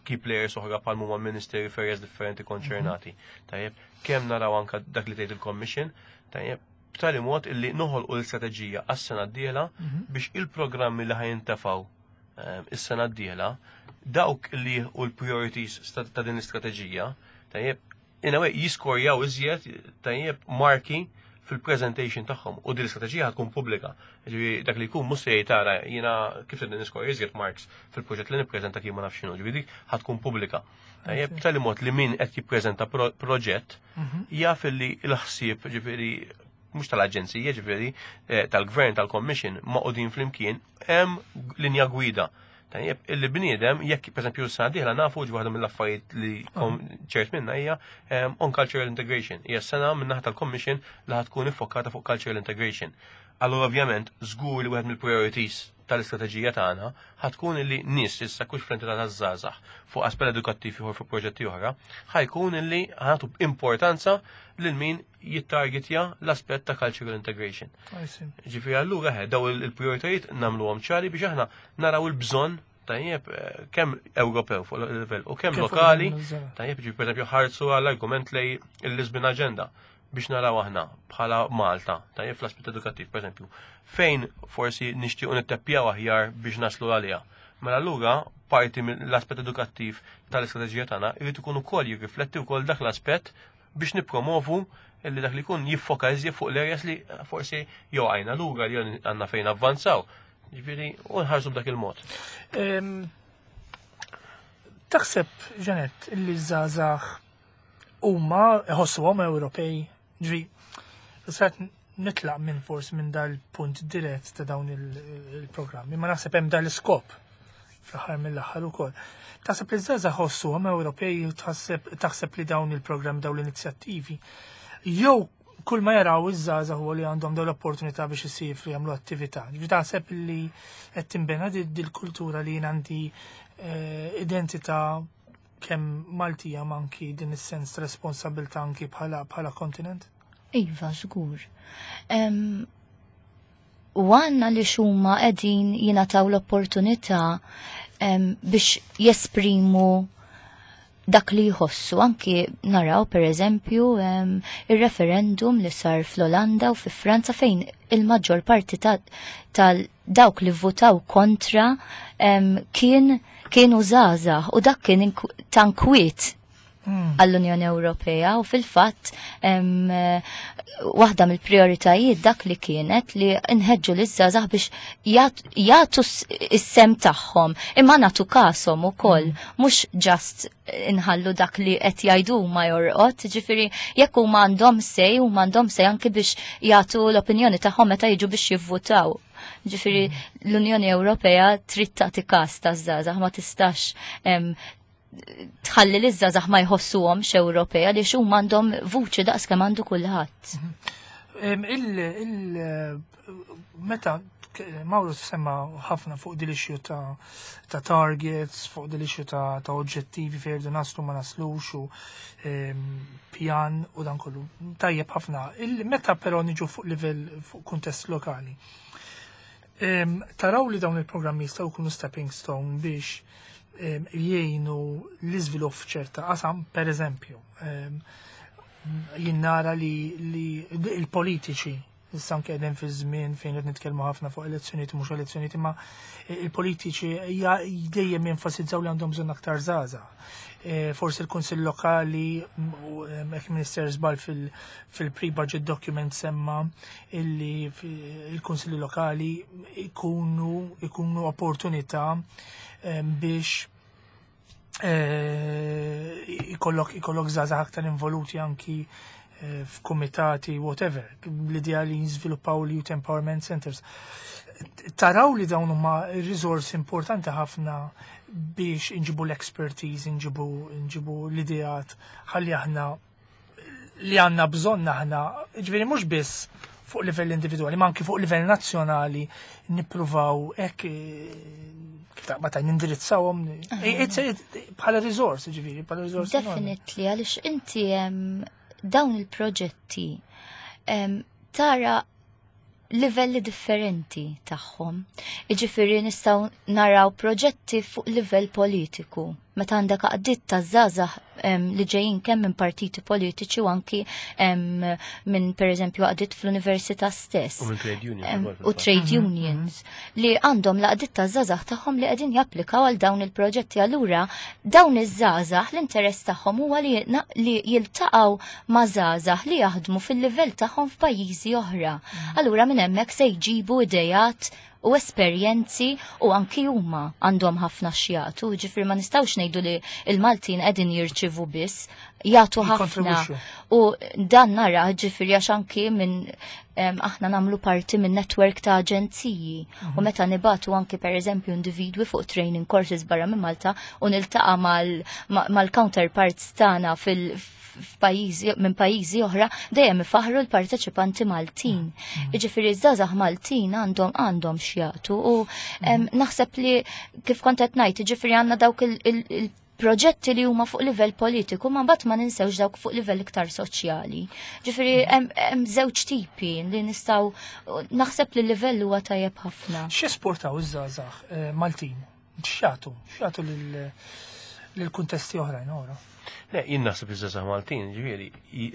Speaker 2: key players oħra bħal huma ministeri f'areas differenti konċernati. Tajjeb, kemm naraw anka dak li tgħid il-Commission, tajjeb, b'tali mod illi noħolqu l-istrateġija għas-sena d-dieħla biex il-programmi li ħa jintefgħu em, is-sena d-dieħla, dawk li u l-priorities sta- ta' din l-istrateġija, tajjeb, in a way jiskorjaw iżjed, tajjeb, marki fil-presentation tagħhom u din l-istrateġija tkun pubblika. Ġifieri dak li jkun mhux se jgħid tara jiena kif se niskorja iżjed marks fil-proġett li nippreżenta kif ma nafx x'inhu, ġifieri dik ħa tkun pubblika. Tajjeb, b'tali mod li min qed jippreżenta pro- proġett jaf li l-ħsieb, ġifieri mhux tal-aġenzija, ġifieri eh, tal-gvern, tal-commission magħqudin flimkien hemm linja gwida. Tajjeb, illi bniedem jekk pereżempju s-sena dieħla nafu ġi waħda mill-affarijiet li kom ċert minna hija em, on cultural integration. Hija sena minn naħa tal-commission li ħa tkun iffokata fuq cultural integration. Allura ovvjament żgur li wieħed mill-priorities tal-istrateġija tagħna ħa tkun li nies issa kux fl-entità taż-żgħażagħ fuq aspett edukattiv ieħor, fuq proġetti oħra, ħa jkun illi ħa nagħtu importanza lil min jittargetja l-aspett ta' cultural integration.
Speaker 1: I see.
Speaker 2: Ġifieri allura ħe, daw il-prioritajiet nagħmluhom ċari biex aħna naraw il-bżonn, tajjeb, eh, kemm Ewropew fuq il-livell u kemm
Speaker 1: Kif fuq
Speaker 2: lokali,
Speaker 1: il-livell.
Speaker 2: tajjeb, ġifieri pereżempju ħarsu għall-argument lej il-Lisbon Agenda biex naraw aħna bħala Malta, tajjeb, fl-aspett edukattiv, pereżempju, fejn forsi nixtiequ nitteppjaw aħjar biex naslu għaliha. Mela allura parti mill-aspett edukattiv tal-istrateġija tagħna jrid ikun ukoll jirrifletti wkoll dak l-aspett biex nippromovu illi dak li jkun jiffoka iżjed fuq l-areas li forsi jew għajna lura li għandna fejn avvanzaw. Ġifieri, u nħarsu b'dak il-mod.
Speaker 1: Em, Taħseb, Janet, illi żgħażagħ huma iħossuhom Ewropej, ġi, sat nitlaq minn forsi minn dal-punt dirett ta' dawn il- il-programmi, ma naħseb hemm dal-iskop fl-aħħar mill-aħħar ukoll. Taħseb li żgħażagħ ħossuhom Ewropej u taħseb taħseb li dawn il-programmi, dawn l-inizjattivi, jew kull ma jaraw iż-żgħażagħ huwa li għandhom dawn l-opportunità biex isifru, jagħmlu attività? Ġifieri taħseb li qed tinbena dil-kultura li jien għandi eh, identità kemm Maltija ma anki din is-sens ta' responsabilità anki bħala bħala kontinent?
Speaker 3: Iva, żgur. Em, U għanna li xumma qegħdin jingħataw l-opportunità em, biex jesprimu dak li jħossu. Anki naraw, per eżempju, em, il-referendum li sar fl-Olanda u fi Franza, fejn il-maġġor parti ta- tal dawk li votaw kontra em, kien kienu żgħażagħ u dak kien inku- ta' inkwiet għall-Unjoni Ewropea. U fil-fatt em, eh, waħda mill-prioritajiet dak li kienet li nħeġġu liż-żgħażagħ biex jagħt- jagħtu s- is-sehem tagħhom imma nagħtu kashom ukoll, mhux just inħallu dak li qed jgħidu ma jorqod, ġifieri jekk huma għandhom say, huma għandhom say anki biex jagħtu l-opinjoni tagħhom meta jiġu biex jivvutaw. Ġifieri l-Unjoni Ewropea trid tagħti każ taż-żgħażagħ, ma tistax em, tħalli li żgħażagħ ma jħossuhomx Ewropea li huma għandhom vuċi daqs kemm għandu kulħadd.
Speaker 1: Em, Il, il, meta Mauro semma ħafna fuq dil issue ta', ta' targets, fuq dil issue ta', ta' oġġettivi fejn irridu naslu, ma naslux, u em, pjan u dan kollu. Tajjeb ħafna. Il, meta però niġu fuq livell, fuq kuntest lokali. Em, taraw li dawn il-programmi jistgħu jkunu stepping stone biex em, jgħinu l-iżvilupp f'ċerta qasam, per eżempju, em, jien nara li, li il-politiċi, issa anke qegħdin fi żmien fejn qed nitkellmu ħafna fuq elezzjonijiet u mhux elezzjonijiet, imma il-politiċi ja- dejjem jenfasizzaw li għandhom bżonn aktar żgħażagħ. E, Forsi l-Kunsill Lokali u em, hekk Minister żball fil- fil-pre-budget document semma illi fi- il-Kunsilli Lokali ikunu ikunu opportunità em, biex eh, ikollok ikollok żgħażagħ aktar involuti anki eh, f'kumitati, whatever, l-idea li jiżviluppaw l-Youth Empowerment Centers. Taraw li dawn huma risorsi importanti ħafna biex inġibu l-expertise, inġibu, inġibu l-ideat, ħalli aħna li għanna bżonn aħna, ġifieri mhux biss fuq livell individwali, ma anki fuq livell nazzjonali nippruvaw hekk eh, kif taqbad ta' nindirizzawhom eh, it's- it- bħala riżors, ġifieri, bħala riżors enormi.
Speaker 3: Definitely, għaliex inti em, dawn il-proġetti em, tara livelli differenti tagħhom. Iġifieri nistgħu naraw proġetti fuq livell politiku. Meta għandek għaqdiet ta' żgħażagħ em, li ġejjin kemm minn partiti politiċi u anki em, minn, pereżempju, għaqdiet fl-università stess.
Speaker 2: U minn trade unions
Speaker 3: Em,
Speaker 2: ukoll
Speaker 3: u
Speaker 2: fil-fatt.
Speaker 3: trade unions li għandhom l-għaqdiet ta' żgħażagħ tagħhom li qegħdin japplikaw għal dawn il-proġetti. Allura dawn iż-żgħażagħ l-interess tagħhom huwa li, na- li jiltaqgħu ma' żgħażagħ li jaħdmu fil-livell tagħhom f'pajjiżi oħra. Allura minn hemmhekk se jġibu idejat u esperjenzi u anki huma għandhom ħafna x'jagħtu, ġifieri ma nistgħux ngħidu li il-Maltin qegħdin jirċivu biss, jagħtu ħafna.
Speaker 1: Jikkontribwixxu.
Speaker 3: U dan nara, ġifieri, għax anki minn em, aħna nagħmlu parti minn network ta' aġenziji u meta nibagħtu anki, per eżempju, individwi fuq training courses barra minn Malta u niltaqa' mal- ma- mal-counterparts tagħna fil f'pajjiżi minn pajjiżi oħra dejjem ifaħru l-parteċipanti Maltin. Jiġifieri ż-żgħażagħ Maltin għandhom għandhom x'jagħtu u em, naħseb li kif kont qed ngħid, jiġifieri għandna dawk il- il- il-proġetti li huma fuq livell politiku, ma mbagħad ma ninsewx dawk fuq livell iktar soċjali. Ġifieri hemm hemm żewġ tipi li nistgħu naħseb li l-livell huwa tajjeb ħafna.
Speaker 1: X'esportaw iż-żgħażagħ eh, Maltin? X'jagħtu? X'jagħtu lil lil kuntesti oħrajn ora?
Speaker 2: Le, jien naħseb iż-żgħażagħ Maltin, ġifieri,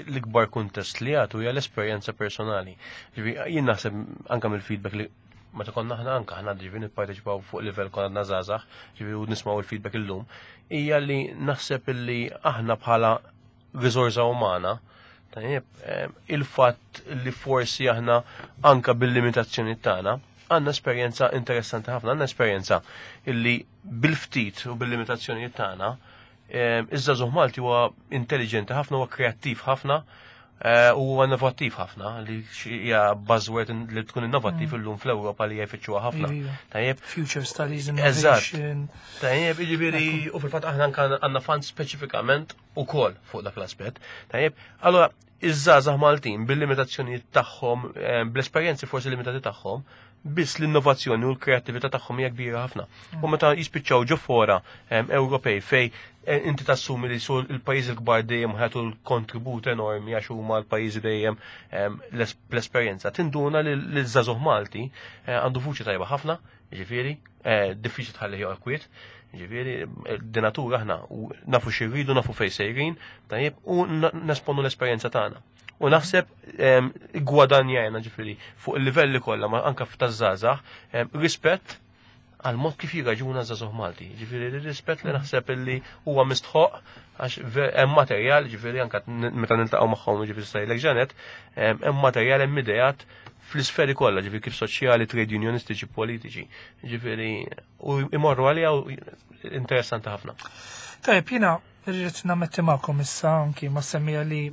Speaker 2: l-ikbar kuntest li jagħtu hija l-esperjenza personali. Ġifieri, jien naħseb anke mill-feedback li meta konna aħna anke aħna, ġifieri, nipparteċipaw fuq livell konna żgħażagħ, ġifieri, u nismgħu il-feedback illum, hija li naħseb illi aħna bħala riżorsa umana. Tajjeb, eh, il-fatt li forsi aħna anka bil-limitazzjoni tagħna għandna esperjenza interessanti ħafna, għandna esperjenza illi bil-ftit u bil-limitazzjoni tagħna eh, iż-żagħżugħ Malti huwa intelligenti ħafna, huwa kreattiv ħafna eh, u huwa innovattiv ħafna, li hija buzzword li tkun innovattiv illum fl-Ewropa li jfittxuha ħafna.
Speaker 1: Iva.
Speaker 2: Tajjeb,
Speaker 1: Future studies,
Speaker 2: Eżatt.
Speaker 1: innovation.
Speaker 2: Tajjeb, jiġifieri, u fil-fatt aħna anka għandna fund speċifikament ukoll fuq dak l-aspett. Tajjeb, allora iż-żgħażagħ Maltin bil-limitazzjonijiet tagħhom, eh, bl-esperjenzi forsi limitati tagħhom, biss l-innovazzjoni u l-kreattività tagħhom hija kbira ħafna. U meta jispiċċaw ġo fora em, Ewropej fej eh, inti tassumi li su il-pajjiżi l-kbar dejjem ħatu l-kontribut enormi għax huma l-pajjiżi dejjem em, l-es- l-esperjenza. Tinduna li l-żagħżugħ Malti eh, għandu vuċi tajba ħafna, ġifieri, eh, diffiċli tħalli joqgħod kwiet, ġifieri, di natura aħna u nafu xi rridu, nafu fejn sejrin, tajjeb, u na- nesponu l-esperjenza tagħna. U naħseb em, gwadanjajna, ġifieri, fuq il-livelli kollha, ma anka f'taż-żgħażagħ, em, rispett għal mod kif jirraġuna żagħżugħ Malti. Ġifieri rispett li naħseb illi huwa mistħoq għax ve- hemm materjal, ġifieri, anka n- meta niltaqgħu magħhom, ġifieri stajlek ġanet, em, hemm materjal, hemm ideat fl-isferi kollha, ġifieri kif soċjali, trade unionistiċi, politiċi. Ġifieri u imorru għalija u interessanti ħafna.
Speaker 1: Tajjeb, jiena rrid nammetti magħkom issa anki ma semmija li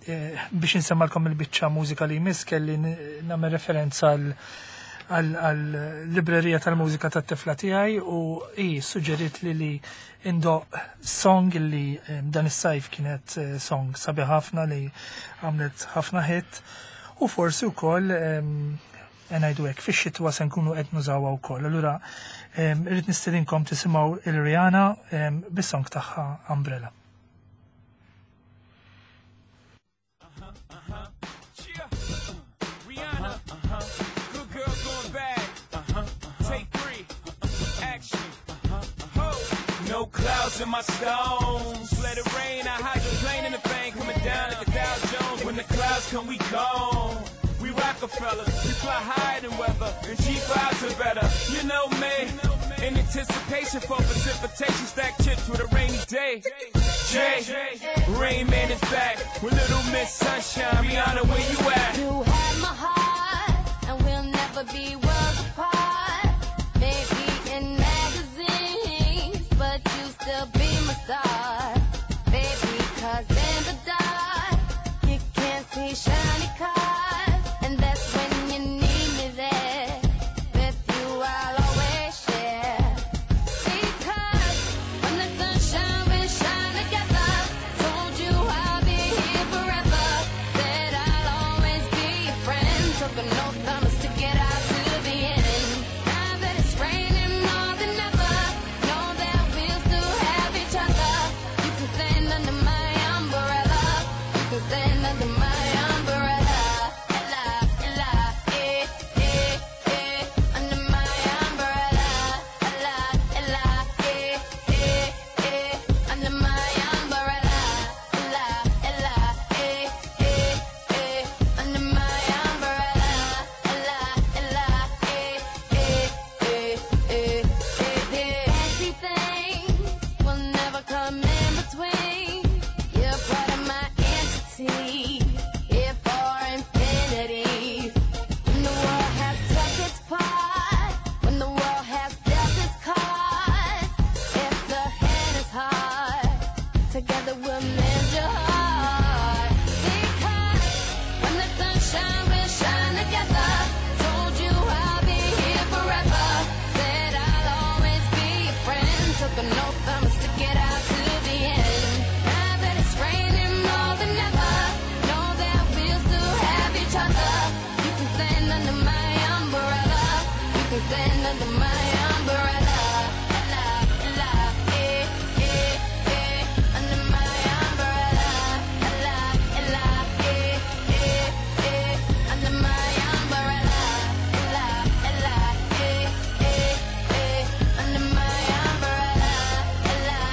Speaker 1: eh, biex insemmalkom il-biċċa mużika li jmiss kelli n- nagħmel referenza għal għal librerija tal-mużika tat-tifla tiegħi u hi suġġeriet li li indoqq song li eh, dan is-sajf kienet eh, song sabiħ ħafna li għamlet ħafna hit u forsi wkoll em, ngħidu hekk fix-xitwa se nkunu qed nużawha wkoll. Allura em, irrid nistedinkom tisimgħu il-Rihanna em, bis-song tagħha Umbrella.
Speaker 4: Yeah. Rihanna. Good girl going bad. Take three. Action. Ho. No clouds in my stones. Let it rain. I hydroplane in the bank. Coming down like a Dow Jones. When the clouds come, we gone. We Rockefellers, we fly higher than weather, and G fives are better. You know me, in anticipation for precipitation, stack chips with a rainy day. Jay, Rain Man is back with Little Miss Sunshine. Rihanna, where you at?
Speaker 5: You have my heart, and we'll never be worlds apart. Maybe in magazines, but you still be my star. Baby, 'cause in the dark, you can't see shiny cars. And that's when you need me there. With you, I'll always share. Because when the sunshine will shine together, told you I'll be here forever. Said I'll always be your friend. Took an oath, I'ma stick it out to the can stand under my umbrella. La, la, eh, eh, eh. Under my umbrella. La, la, eh, eh, eh. Under my umbrella. La, la, eh, eh, eh. Under my umbrella. La,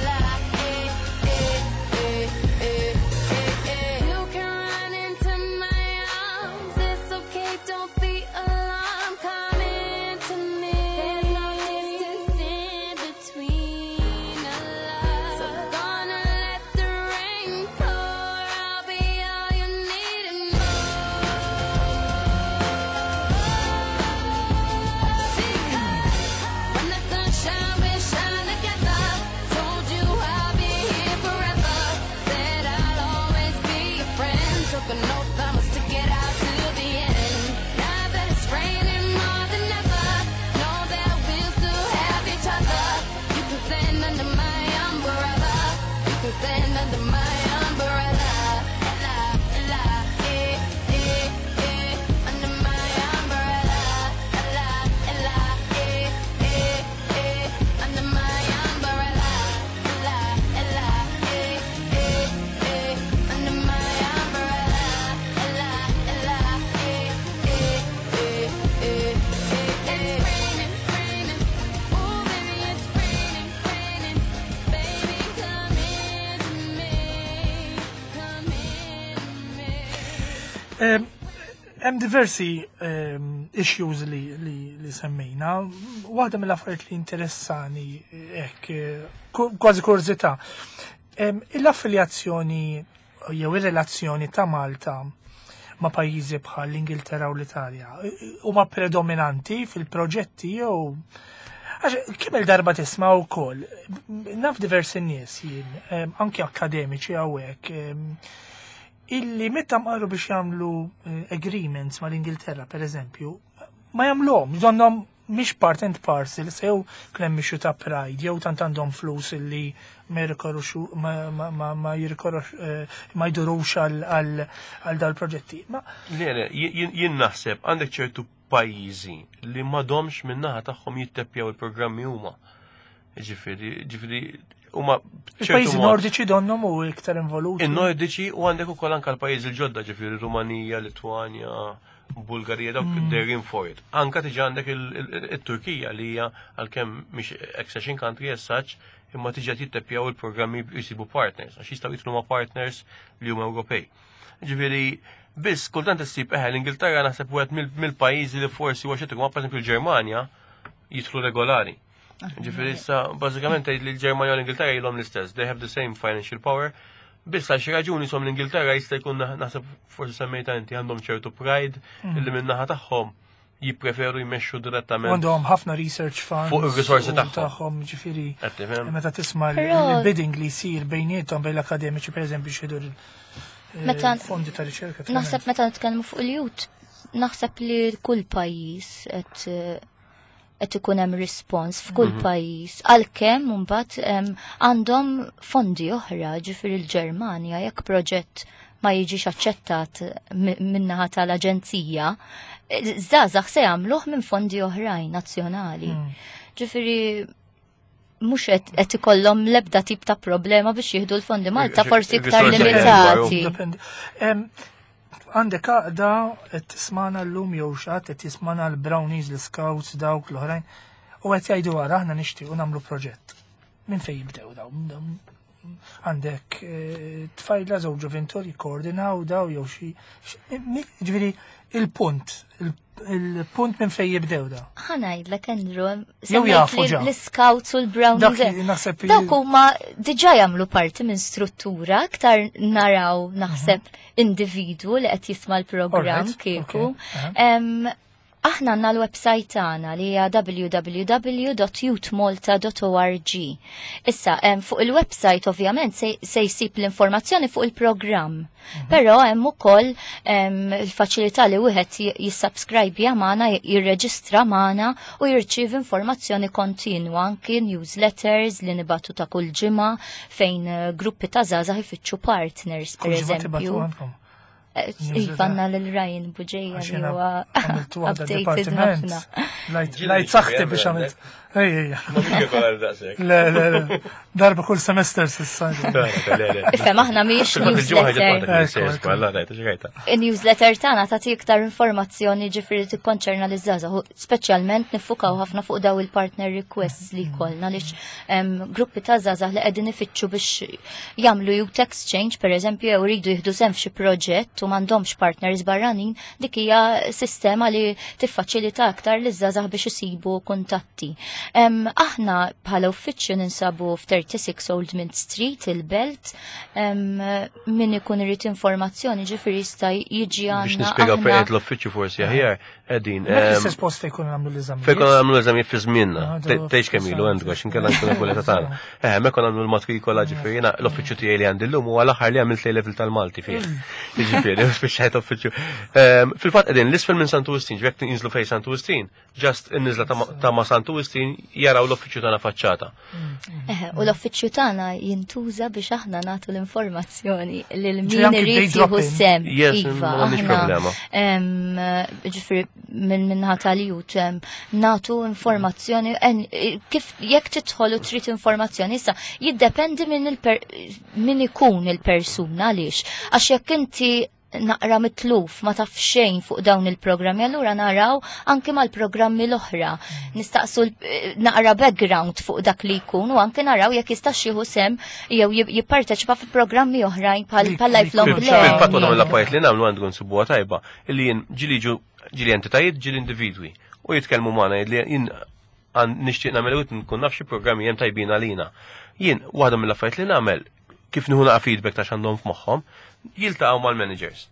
Speaker 5: la, eh, eh, eh, eh, eh, eh. You can run into my arms. It's okay, don't be alarmed. Come into me. There's no distance in between our love. So gonna let the rain pour. I'll be all you need and more. Because when the sun shine, we shine together. Told you I'll be here forever. Said I'll always be your friend. Took an oath I'ma stick it out to the end. Now that it's raining more than ever, know that we'll still have each other. You can stand under my umbrella. You can stand under my umbrella. La, la, eh, eh, eh. Under my umbrella. La, la, eh, eh, eh. Under my umbrella. La, la, eh, eh, eh. Under my umbrella. La, la, eh, eh, eh, eh, eh. It's raining, raining. Oh, baby, it's raining, raining. Baby, come into me. Come into me.
Speaker 1: Em, Hemm diversi em, issues li, li, li semmejna. Waħda mill-affarijiet li interessani hekk eh, ku- kważi kurżità. Em, L-affiljazzjoni jew ir-relazzjoni ta' Malta ma' pajjiżi bħal l-Ingilterra u l-Italja huma predominanti fil-proġetti jew Għax, kemm il-darba tisma' wkoll, naf diversi nies jien, em, anke akademiċi hawnhekk, em, illi meta marru biex jagħmlu eh, agreements mal-Ingilterra, per eżempju, ma jagħmluhom, donnhom mhix part and parcel, se jew kemm issue ta' pride, jew tant għandhom flus illi ma jirrikorruxu ma, ma, ma, ma jirrikorrux eh, ma jdurux għal għal għal dal-proġetti. Ma
Speaker 2: Le, le, jien jien naħseb għandek ċertu pajjiżi li m'għadhomx min-naħa tagħhom jitteppjaw il-programmi huma. Ġifieri, ġifieri huma b'ċertu
Speaker 1: il-pajjiżi
Speaker 2: mod-
Speaker 1: nordiċi donnhom u iktar involuti.
Speaker 2: In-Nordiċi u għandek ukoll anke l-pajjiżi l-ġodda, ġifieri Rumanija, Litwanja, Bulgarija, dawk mm. they're in for it. Anka tiġi għandek il- il- il-Turkija li hija għalkemm mhix accession country as such, imma tiġi qed jitteppjaw il-programmi jisibu partners, għax jistgħu jidħlu ma' partners li huma Ewropej. Ġifieri, biss kultant issib eħe l-Ingilterra naħseb wieħed mill- mill-pajjiżi li forsi huwa xi ma pereżempju l-Ġermanja jidħlu regolari. Ġifieri issa bażikament tgħid li l-Ġermanja u l-Ingilterra ilhom l-istess, they have the same financial power. Biss għal xi raġuni som l-Ingilterra jista' jkun naħ- naħseb forsi semmejta inti għandhom ċertu pride illi min-naħa tagħhom jippreferu jmexxu direttament.
Speaker 1: Għandhom ħafna research funds.
Speaker 2: Fuq ir-risorsi
Speaker 1: u
Speaker 2: tagħhom.
Speaker 1: Tagħhom, ġifieri.
Speaker 2: Qed tifhem?
Speaker 1: Meta tisma'
Speaker 3: Però-
Speaker 1: l-bidding li jsir bejniethom bejn l-akademiċi pereżempju xiedu
Speaker 3: Meta-
Speaker 1: fondi ta' riċerka.
Speaker 3: Naħseb meta nitkellmu fuq il-youth, naħseb li kull pajjiż qed qed ikun hemm rispons f'kull pajjiż għalkemm imbagħad em, għandhom fondi oħra, ġifieri l-Ġermanja jekk proġett ma jiġix aċċettat mi- min-naħa tal-aġenzija, żgħażagħ se jagħmluh minn fondi oħrajn nazzjonali. Ġifieri mhux qed qed ikollhom l-ebda tip ta' problema biex jieħdu l-fondi Malta forsi iktar
Speaker 2: Il-risorsi
Speaker 3: limitati.
Speaker 1: Dependi. Em, Għandek għaqda qed tismana llum jew xatt qed tismana l-Brownies, l-Scouts, dawk l-oħrajn u qed jgħidu għara aħna nixtiequ nagħmlu proġett. Minn fejn jibdew daw? Dawn- Għandek eh, tfajla żewġ ġuventur jikkoordinaw daw jew xi xi- Ġifieri il-punt, il- il-punt minn fejn jibdew da.
Speaker 3: Ħa ngħidlek Andrew,
Speaker 1: Jew
Speaker 3: semmejt
Speaker 1: jafu
Speaker 3: li
Speaker 1: ġa.
Speaker 3: l-Scouts u l-Brownies.
Speaker 1: Dak li naħseb
Speaker 3: Dawk huma diġà jagħmlu parti minn struttura aktar naraw naħseb individwu li qed jisma' l-programm
Speaker 1: Alright,
Speaker 3: kieku.
Speaker 1: okay, aha.
Speaker 3: Em, Aħna għandna l-website tagħna li hija www.youthmalta.org. Issa, em, fuq il-website ovvjament se, se jsib l-informazzjoni fuq il-programm.
Speaker 1: Mhm.
Speaker 3: Però hemm ukoll em, il-faċilità li wieħed j- jissubscribe magħna, jirreġistra magħna u jirċievi informazzjoni kontinwa anki newsletters li nibatu ta' kull ġimgħa fejn eh, gruppi ta' żgħażagħ ifittxu partners
Speaker 1: Kull ġimgħa tibagħtu
Speaker 3: pereżempju.
Speaker 1: għandkom.
Speaker 3: Iva, għandna lil Ryan Buġeja
Speaker 1: Għax
Speaker 3: li
Speaker 1: jiena
Speaker 3: huwa
Speaker 1: għamiltu waħda
Speaker 3: updated
Speaker 1: departiment.
Speaker 3: ħafna.
Speaker 1: Lajt lajt saħti biex għamilt. Ej, ej,
Speaker 2: Ma mhux kif għal daqshekk.
Speaker 1: le, le, le. Darba kull semester s'issa.
Speaker 2: Le, le, le.
Speaker 3: Ifhem, aħna mhijiex
Speaker 2: Fil-fatt il-ġimgħa ħarġet
Speaker 3: newsletter.
Speaker 2: waħda kien sejjer żball, rajta xi rajta.
Speaker 3: Il-newsletter tagħna tagħti iktar informazzjoni ġifieri tikkonċerna liż-żgħażagħ, u speċjalment niffukaw ħafna fuq daw il-partner requests li jkollna għaliex em, gruppi ta' żgħażagħ li qegħdin ifittxu biex jagħmlu youth exchange pereżempju jew iridu jieħdu sehem f'xi proġett u m'għandhomx partners barranin, dik hija sistema li tiffaċilita aktar liż-żgħażagħ biex isibu kuntatti. Em, aħna bħala uffiċċju ninsabu f'thirty-six Old Mint Street, il-Belt, em, min ikun irid informazzjoni ġifieri jista' jiġi
Speaker 2: Biex
Speaker 3: għandna.
Speaker 2: nispjegaw fejn
Speaker 3: aħna-
Speaker 2: qed l-uffiċċju forsi aħjar, qegħdin.
Speaker 1: Mek l-istess post jkun għamlu l-eżamijiet.
Speaker 2: Fejn konna nagħmlu l-eżamijiet fi żmienna.
Speaker 1: Ah,
Speaker 2: Te- Tgħidx kemm ilu għandu għax inkella nkunu kuleta tagħna. Eh, hemmhekk konna nagħmlu l-matrikola ġifieri jiena l-uffiċċju tiegħi li għandi llum huwa l-aħħar li għamilt level tal-Malti fih. Ġifieri, spiċċajt uffiċċju. Ehm, Fil-fatt qegħdin l-isfel minn Santu Wistin, ġifieri jekk jinżlu fejn Santu Wistin, just in-niżla ta' ma- ta' ma' Santu Wistin jaraw l-uffiċċju tagħna faċċata.
Speaker 3: Eħe, u l-uffiċċju tagħna jintuża biex aħna nagħtu l-informazzjoni lil
Speaker 1: Ġifieri
Speaker 3: min
Speaker 1: anki
Speaker 3: irid
Speaker 1: day
Speaker 3: jieħu
Speaker 1: drop-in.
Speaker 3: sem.
Speaker 2: Yes,
Speaker 3: Iva,
Speaker 2: m'għandniex
Speaker 3: aħna,
Speaker 2: problema.
Speaker 3: em, ġifieri minn minnaħa tal-youth em, nagħtu informazzjoni en, kif jekk tidħol u trid informazzjoni issa jiddependi minn il-per, min ikun il-persuna għaliex. Għax jekk inti naqra mitluf ma taf xejn fuq dawn il-programmi, allura naraw anke mal-programmi l-oħra. Nistaqsu l- eh, naqra background fuq dak li jkun u anke naraw jekk jistax jieħu sem jew jib- jipparteċipa fi programmi oħrajn bħal
Speaker 1: Li-
Speaker 3: bħal
Speaker 1: li
Speaker 3: lifelong
Speaker 1: jkun
Speaker 2: Fil-fatt waħda
Speaker 3: learning.
Speaker 2: mill-affarijiet li nagħmlu għandu nsibuha tajba, illi jien ġieli ġu ġieli entitajiet ġieli individwi u jitkellmu magħna li jien għan nixtieq nagħmel u nkun naf xi programmi hemm tajbin għalina. Jien waħda mill-affarijiet li nagħmel kif nieħu naqa' feedback ta' x'għandhom f'moħħhom, jiltaqgħu mal-managers.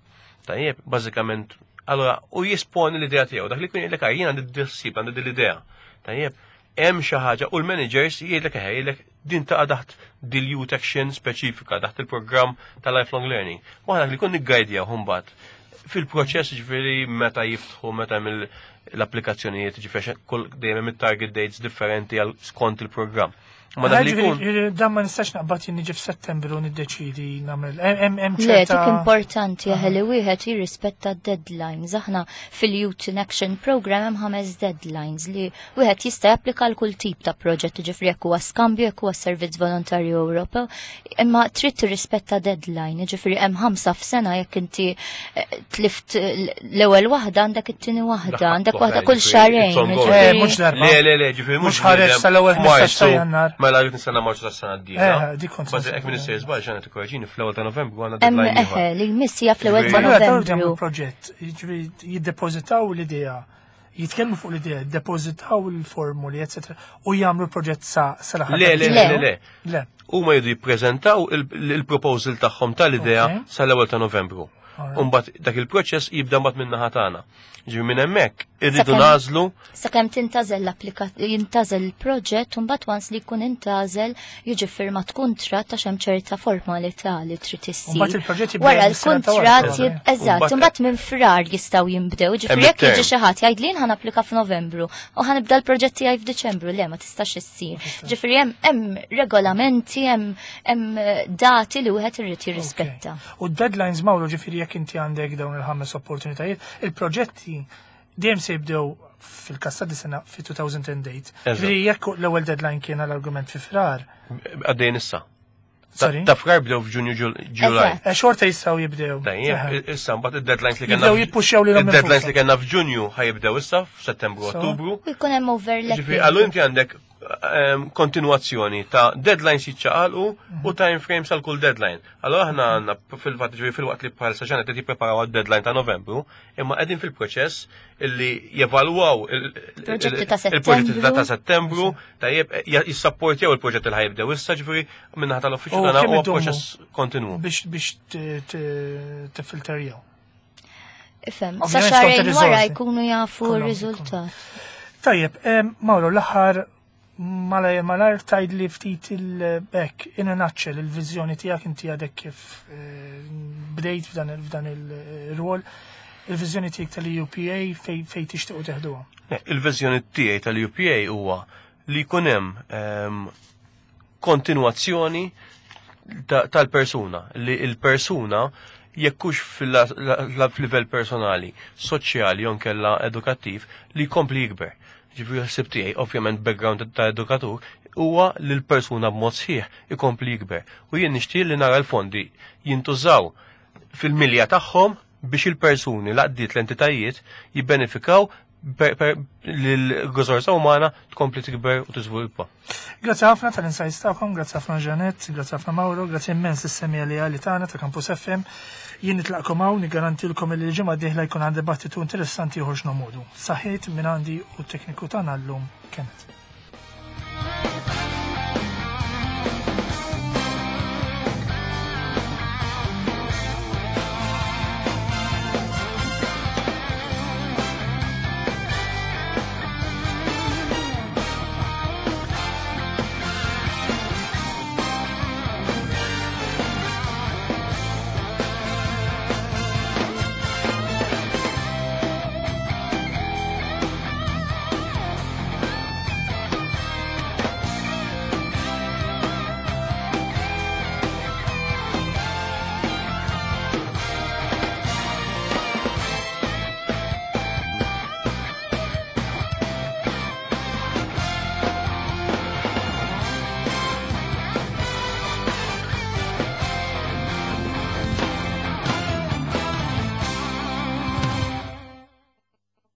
Speaker 2: Tajjeb, bażikament, allora u jisponi l-idea tiegħu, dak li jkun jgħidlek "Ah, jien għandi d-ħsieb, għandi l-idea. Tajjeb, hemm xi ħaġa u l-managers jgħidlek eħe jgħidlek din taqa' taħt dil youth action speċifika taħt il-programm ta' lifelong learning. U aħna li kun niggajdjaw mbagħad fil-proċess ġifieri meta jiftħu meta mill l-applikazzjonijiet ġifieri kull dejjem hemm it-target dates differenti għal skont il-programm. Ma dak li jkun
Speaker 1: Ġifieri, dan ma nistax naqbad jien niġi f'Settembru u niddeċidi nagħmel. Hemm hemm
Speaker 3: Le,
Speaker 1: ċerta.
Speaker 3: dik importanti eħe li wieħed jirrispetta deadlines. Aħna fil-Youth in Action Program hemm ħames deadlines li wieħed jista' japplika għal kull tip ta' proġett, ġifieri jekk huwa skambju, jekk huwa servizz volontarju Ewropew, imma trid tirrispetta deadline, ġifieri hemm ħamsa f'sena jekk inti eh, tlift l-ewwel waħda għandek it-tieni waħda, għandek waħda kull xahrejn.
Speaker 2: It's ongoing.
Speaker 1: Eh,
Speaker 3: ġifieri-
Speaker 1: mhux darba.
Speaker 2: Le, le, le, ġifieri
Speaker 1: Mhux ħareġ sal-ewwel ħmistax ta' Jannar.
Speaker 2: Mela rrid nistenna Marzu tas-sena d-dieħla.
Speaker 1: Eh, dik kont
Speaker 2: Bażi hekk minn issejjer żball x'għandna tikkoreġini fl-ewwel ta' Novembru għandna
Speaker 3: Hemm
Speaker 2: deadline
Speaker 3: eħe
Speaker 2: ieħor.
Speaker 3: li jmiss hija fl-ewwel ta'
Speaker 1: Ma allura dawn jagħmlu
Speaker 3: Novembru.
Speaker 1: proġett, jiġifieri jiddepożitaw l-idea, jitkellmu fuq l-idea, jiddepożitaw il-formuli, eccetera, u jagħmlu proġett sa sal-aħħar.
Speaker 2: Le, le,
Speaker 3: Le.
Speaker 2: le, le.
Speaker 1: Le.
Speaker 2: Huma jridu jippreżentaw il-proposal tagħhom tal-idea
Speaker 1: Ok.
Speaker 2: sal-ewwel ta' Novembru.
Speaker 1: Alright.
Speaker 2: Umbagħad dak il-proċess jibda mbagħad min-naħa tagħna. Ġifieri minn hemmhekk irridu
Speaker 3: Sakemm-
Speaker 2: nażlu
Speaker 3: Sakemm tintażel l-applika jintażel il-proġett u mbagħad once li jkun intażel jiġi firmat kuntratt għax hemm ċerta formalità li trid issir.
Speaker 1: Mbagħad il-proġett jibda
Speaker 3: Wara
Speaker 1: mis-sena ta' wara,
Speaker 3: l-kuntratt jib-
Speaker 1: probably.
Speaker 3: eżatt,
Speaker 2: Mbagħad-
Speaker 3: imbagħad minn frar jistgħu jinbdew. Ġifieri
Speaker 2: Hemm
Speaker 3: jekk jiġi
Speaker 2: it-term.
Speaker 3: xi ħadd jgħid li jien ħa napplika f'Novembru u ħa nibda l-proġett tiegħi f'Diċembru, le ma tistax issir. Ġifieri hemm hemm regolamenti, hemm hemm dati li wieħed irid jirrispetta.
Speaker 1: Ok. U deadlines Mawru ġifieri jekk inti għandek dawn il-ħames opportunitajiet, il-proġetti dejjem se jibdew fil-każ ta' dis-sena fi elfejn u tmienja.
Speaker 2: Eżatt.
Speaker 1: Ġifieri jekk l-ewwel deadline kien għall-argument fi frar,
Speaker 2: għaddejn issa.
Speaker 1: Sorry.
Speaker 2: Ta' frar bdew f'Ġunju Ġulaj.
Speaker 3: Eżatt.
Speaker 1: Eh, xorta jistgħu jibdew.
Speaker 2: Tajjeb, issa mbagħad id-deadlines li kellna
Speaker 1: Jibdew jippuxxjaw lilhom
Speaker 2: id-deadlines
Speaker 1: infushom.
Speaker 2: li kellna f'Ġunju ħajibdew issa f'Settembru
Speaker 1: So?
Speaker 2: Ottubru.
Speaker 3: U jkun hemm overlapping.
Speaker 2: Ġifieri għallu inti għandek ehm, kontinuazzjoni ta' deadlines jiċċaqalqu u time frames għal kull deadline. Allora aħna għandna fil-fatt ġifieri fil-waqt li bħalissa ġanet qed jippreparaw għad-deadline ta' Novembru, imma qegħdin fil-proċess illi jevalwaw il-
Speaker 3: Proġetti ta'
Speaker 2: il-proġetti ta'
Speaker 3: Settembru.
Speaker 2: Settembru, tajjeb jissapportjaw il-proġett li ħajibdew issa ġifieri minnaħa tal-uffiċċju
Speaker 1: U
Speaker 2: tagħna
Speaker 1: kemm
Speaker 2: huwa
Speaker 1: idumu?
Speaker 2: proċess kontinwu.
Speaker 1: Biex biex t- t- tiffilterjaw.
Speaker 3: Ifhem, sa
Speaker 1: Ovvjament skont
Speaker 3: xahrejn wara
Speaker 1: ir-riżorsi.
Speaker 3: jkunu jafu
Speaker 1: Kollhom
Speaker 3: r-riżultat.
Speaker 1: Tajjeb, em, Mauro, l-aħħar malajr malajr tgħid li ftit il-back, in a nutshell, il-viżjoni tiegħek inti għadek kif eh, bdejt f'dan il- f'dan il-rwol, il-viżjoni tiegħek tal-E U P A fej fej tixtiequ teħduha.
Speaker 2: Le, il-viżjoni tiegħi tal-U P A huwa li jkun hemm ehm, kontinuazzjoni ta- tal-persuna, li il-persuna Jekk hux fil-livell personali, soċjali jew kella edukattiv li jkompli jikber. Ġifieri ħsib tiegħi, ovvjament background ta' edukatur, huwa li l-persuna b'mod sħiħ ikompli jikber. U jien nixtieq li nara l-fondi jintużaw fil-milja tagħhom biex il-persuni, l-għaqdiet, l-entitajiet jibbenefikaw li l-riżorsa umana tkompli tikber u tiżviluppa.
Speaker 1: Grazzi ħafna tal-insights tagħkom, grazzi ħafna Janet, grazzi ħafna Mauro, grazzi immens lis-semmiegħa li għali tagħna ta' Campus F M. Jien nitlaqkom hawn, nigarantilkom li l-ġimgħa dieħla jkun għandi dibattitu interessanti ieħor x'nomodu. Saħħiet minn għandi u tekniku tagħna llum Kenneth.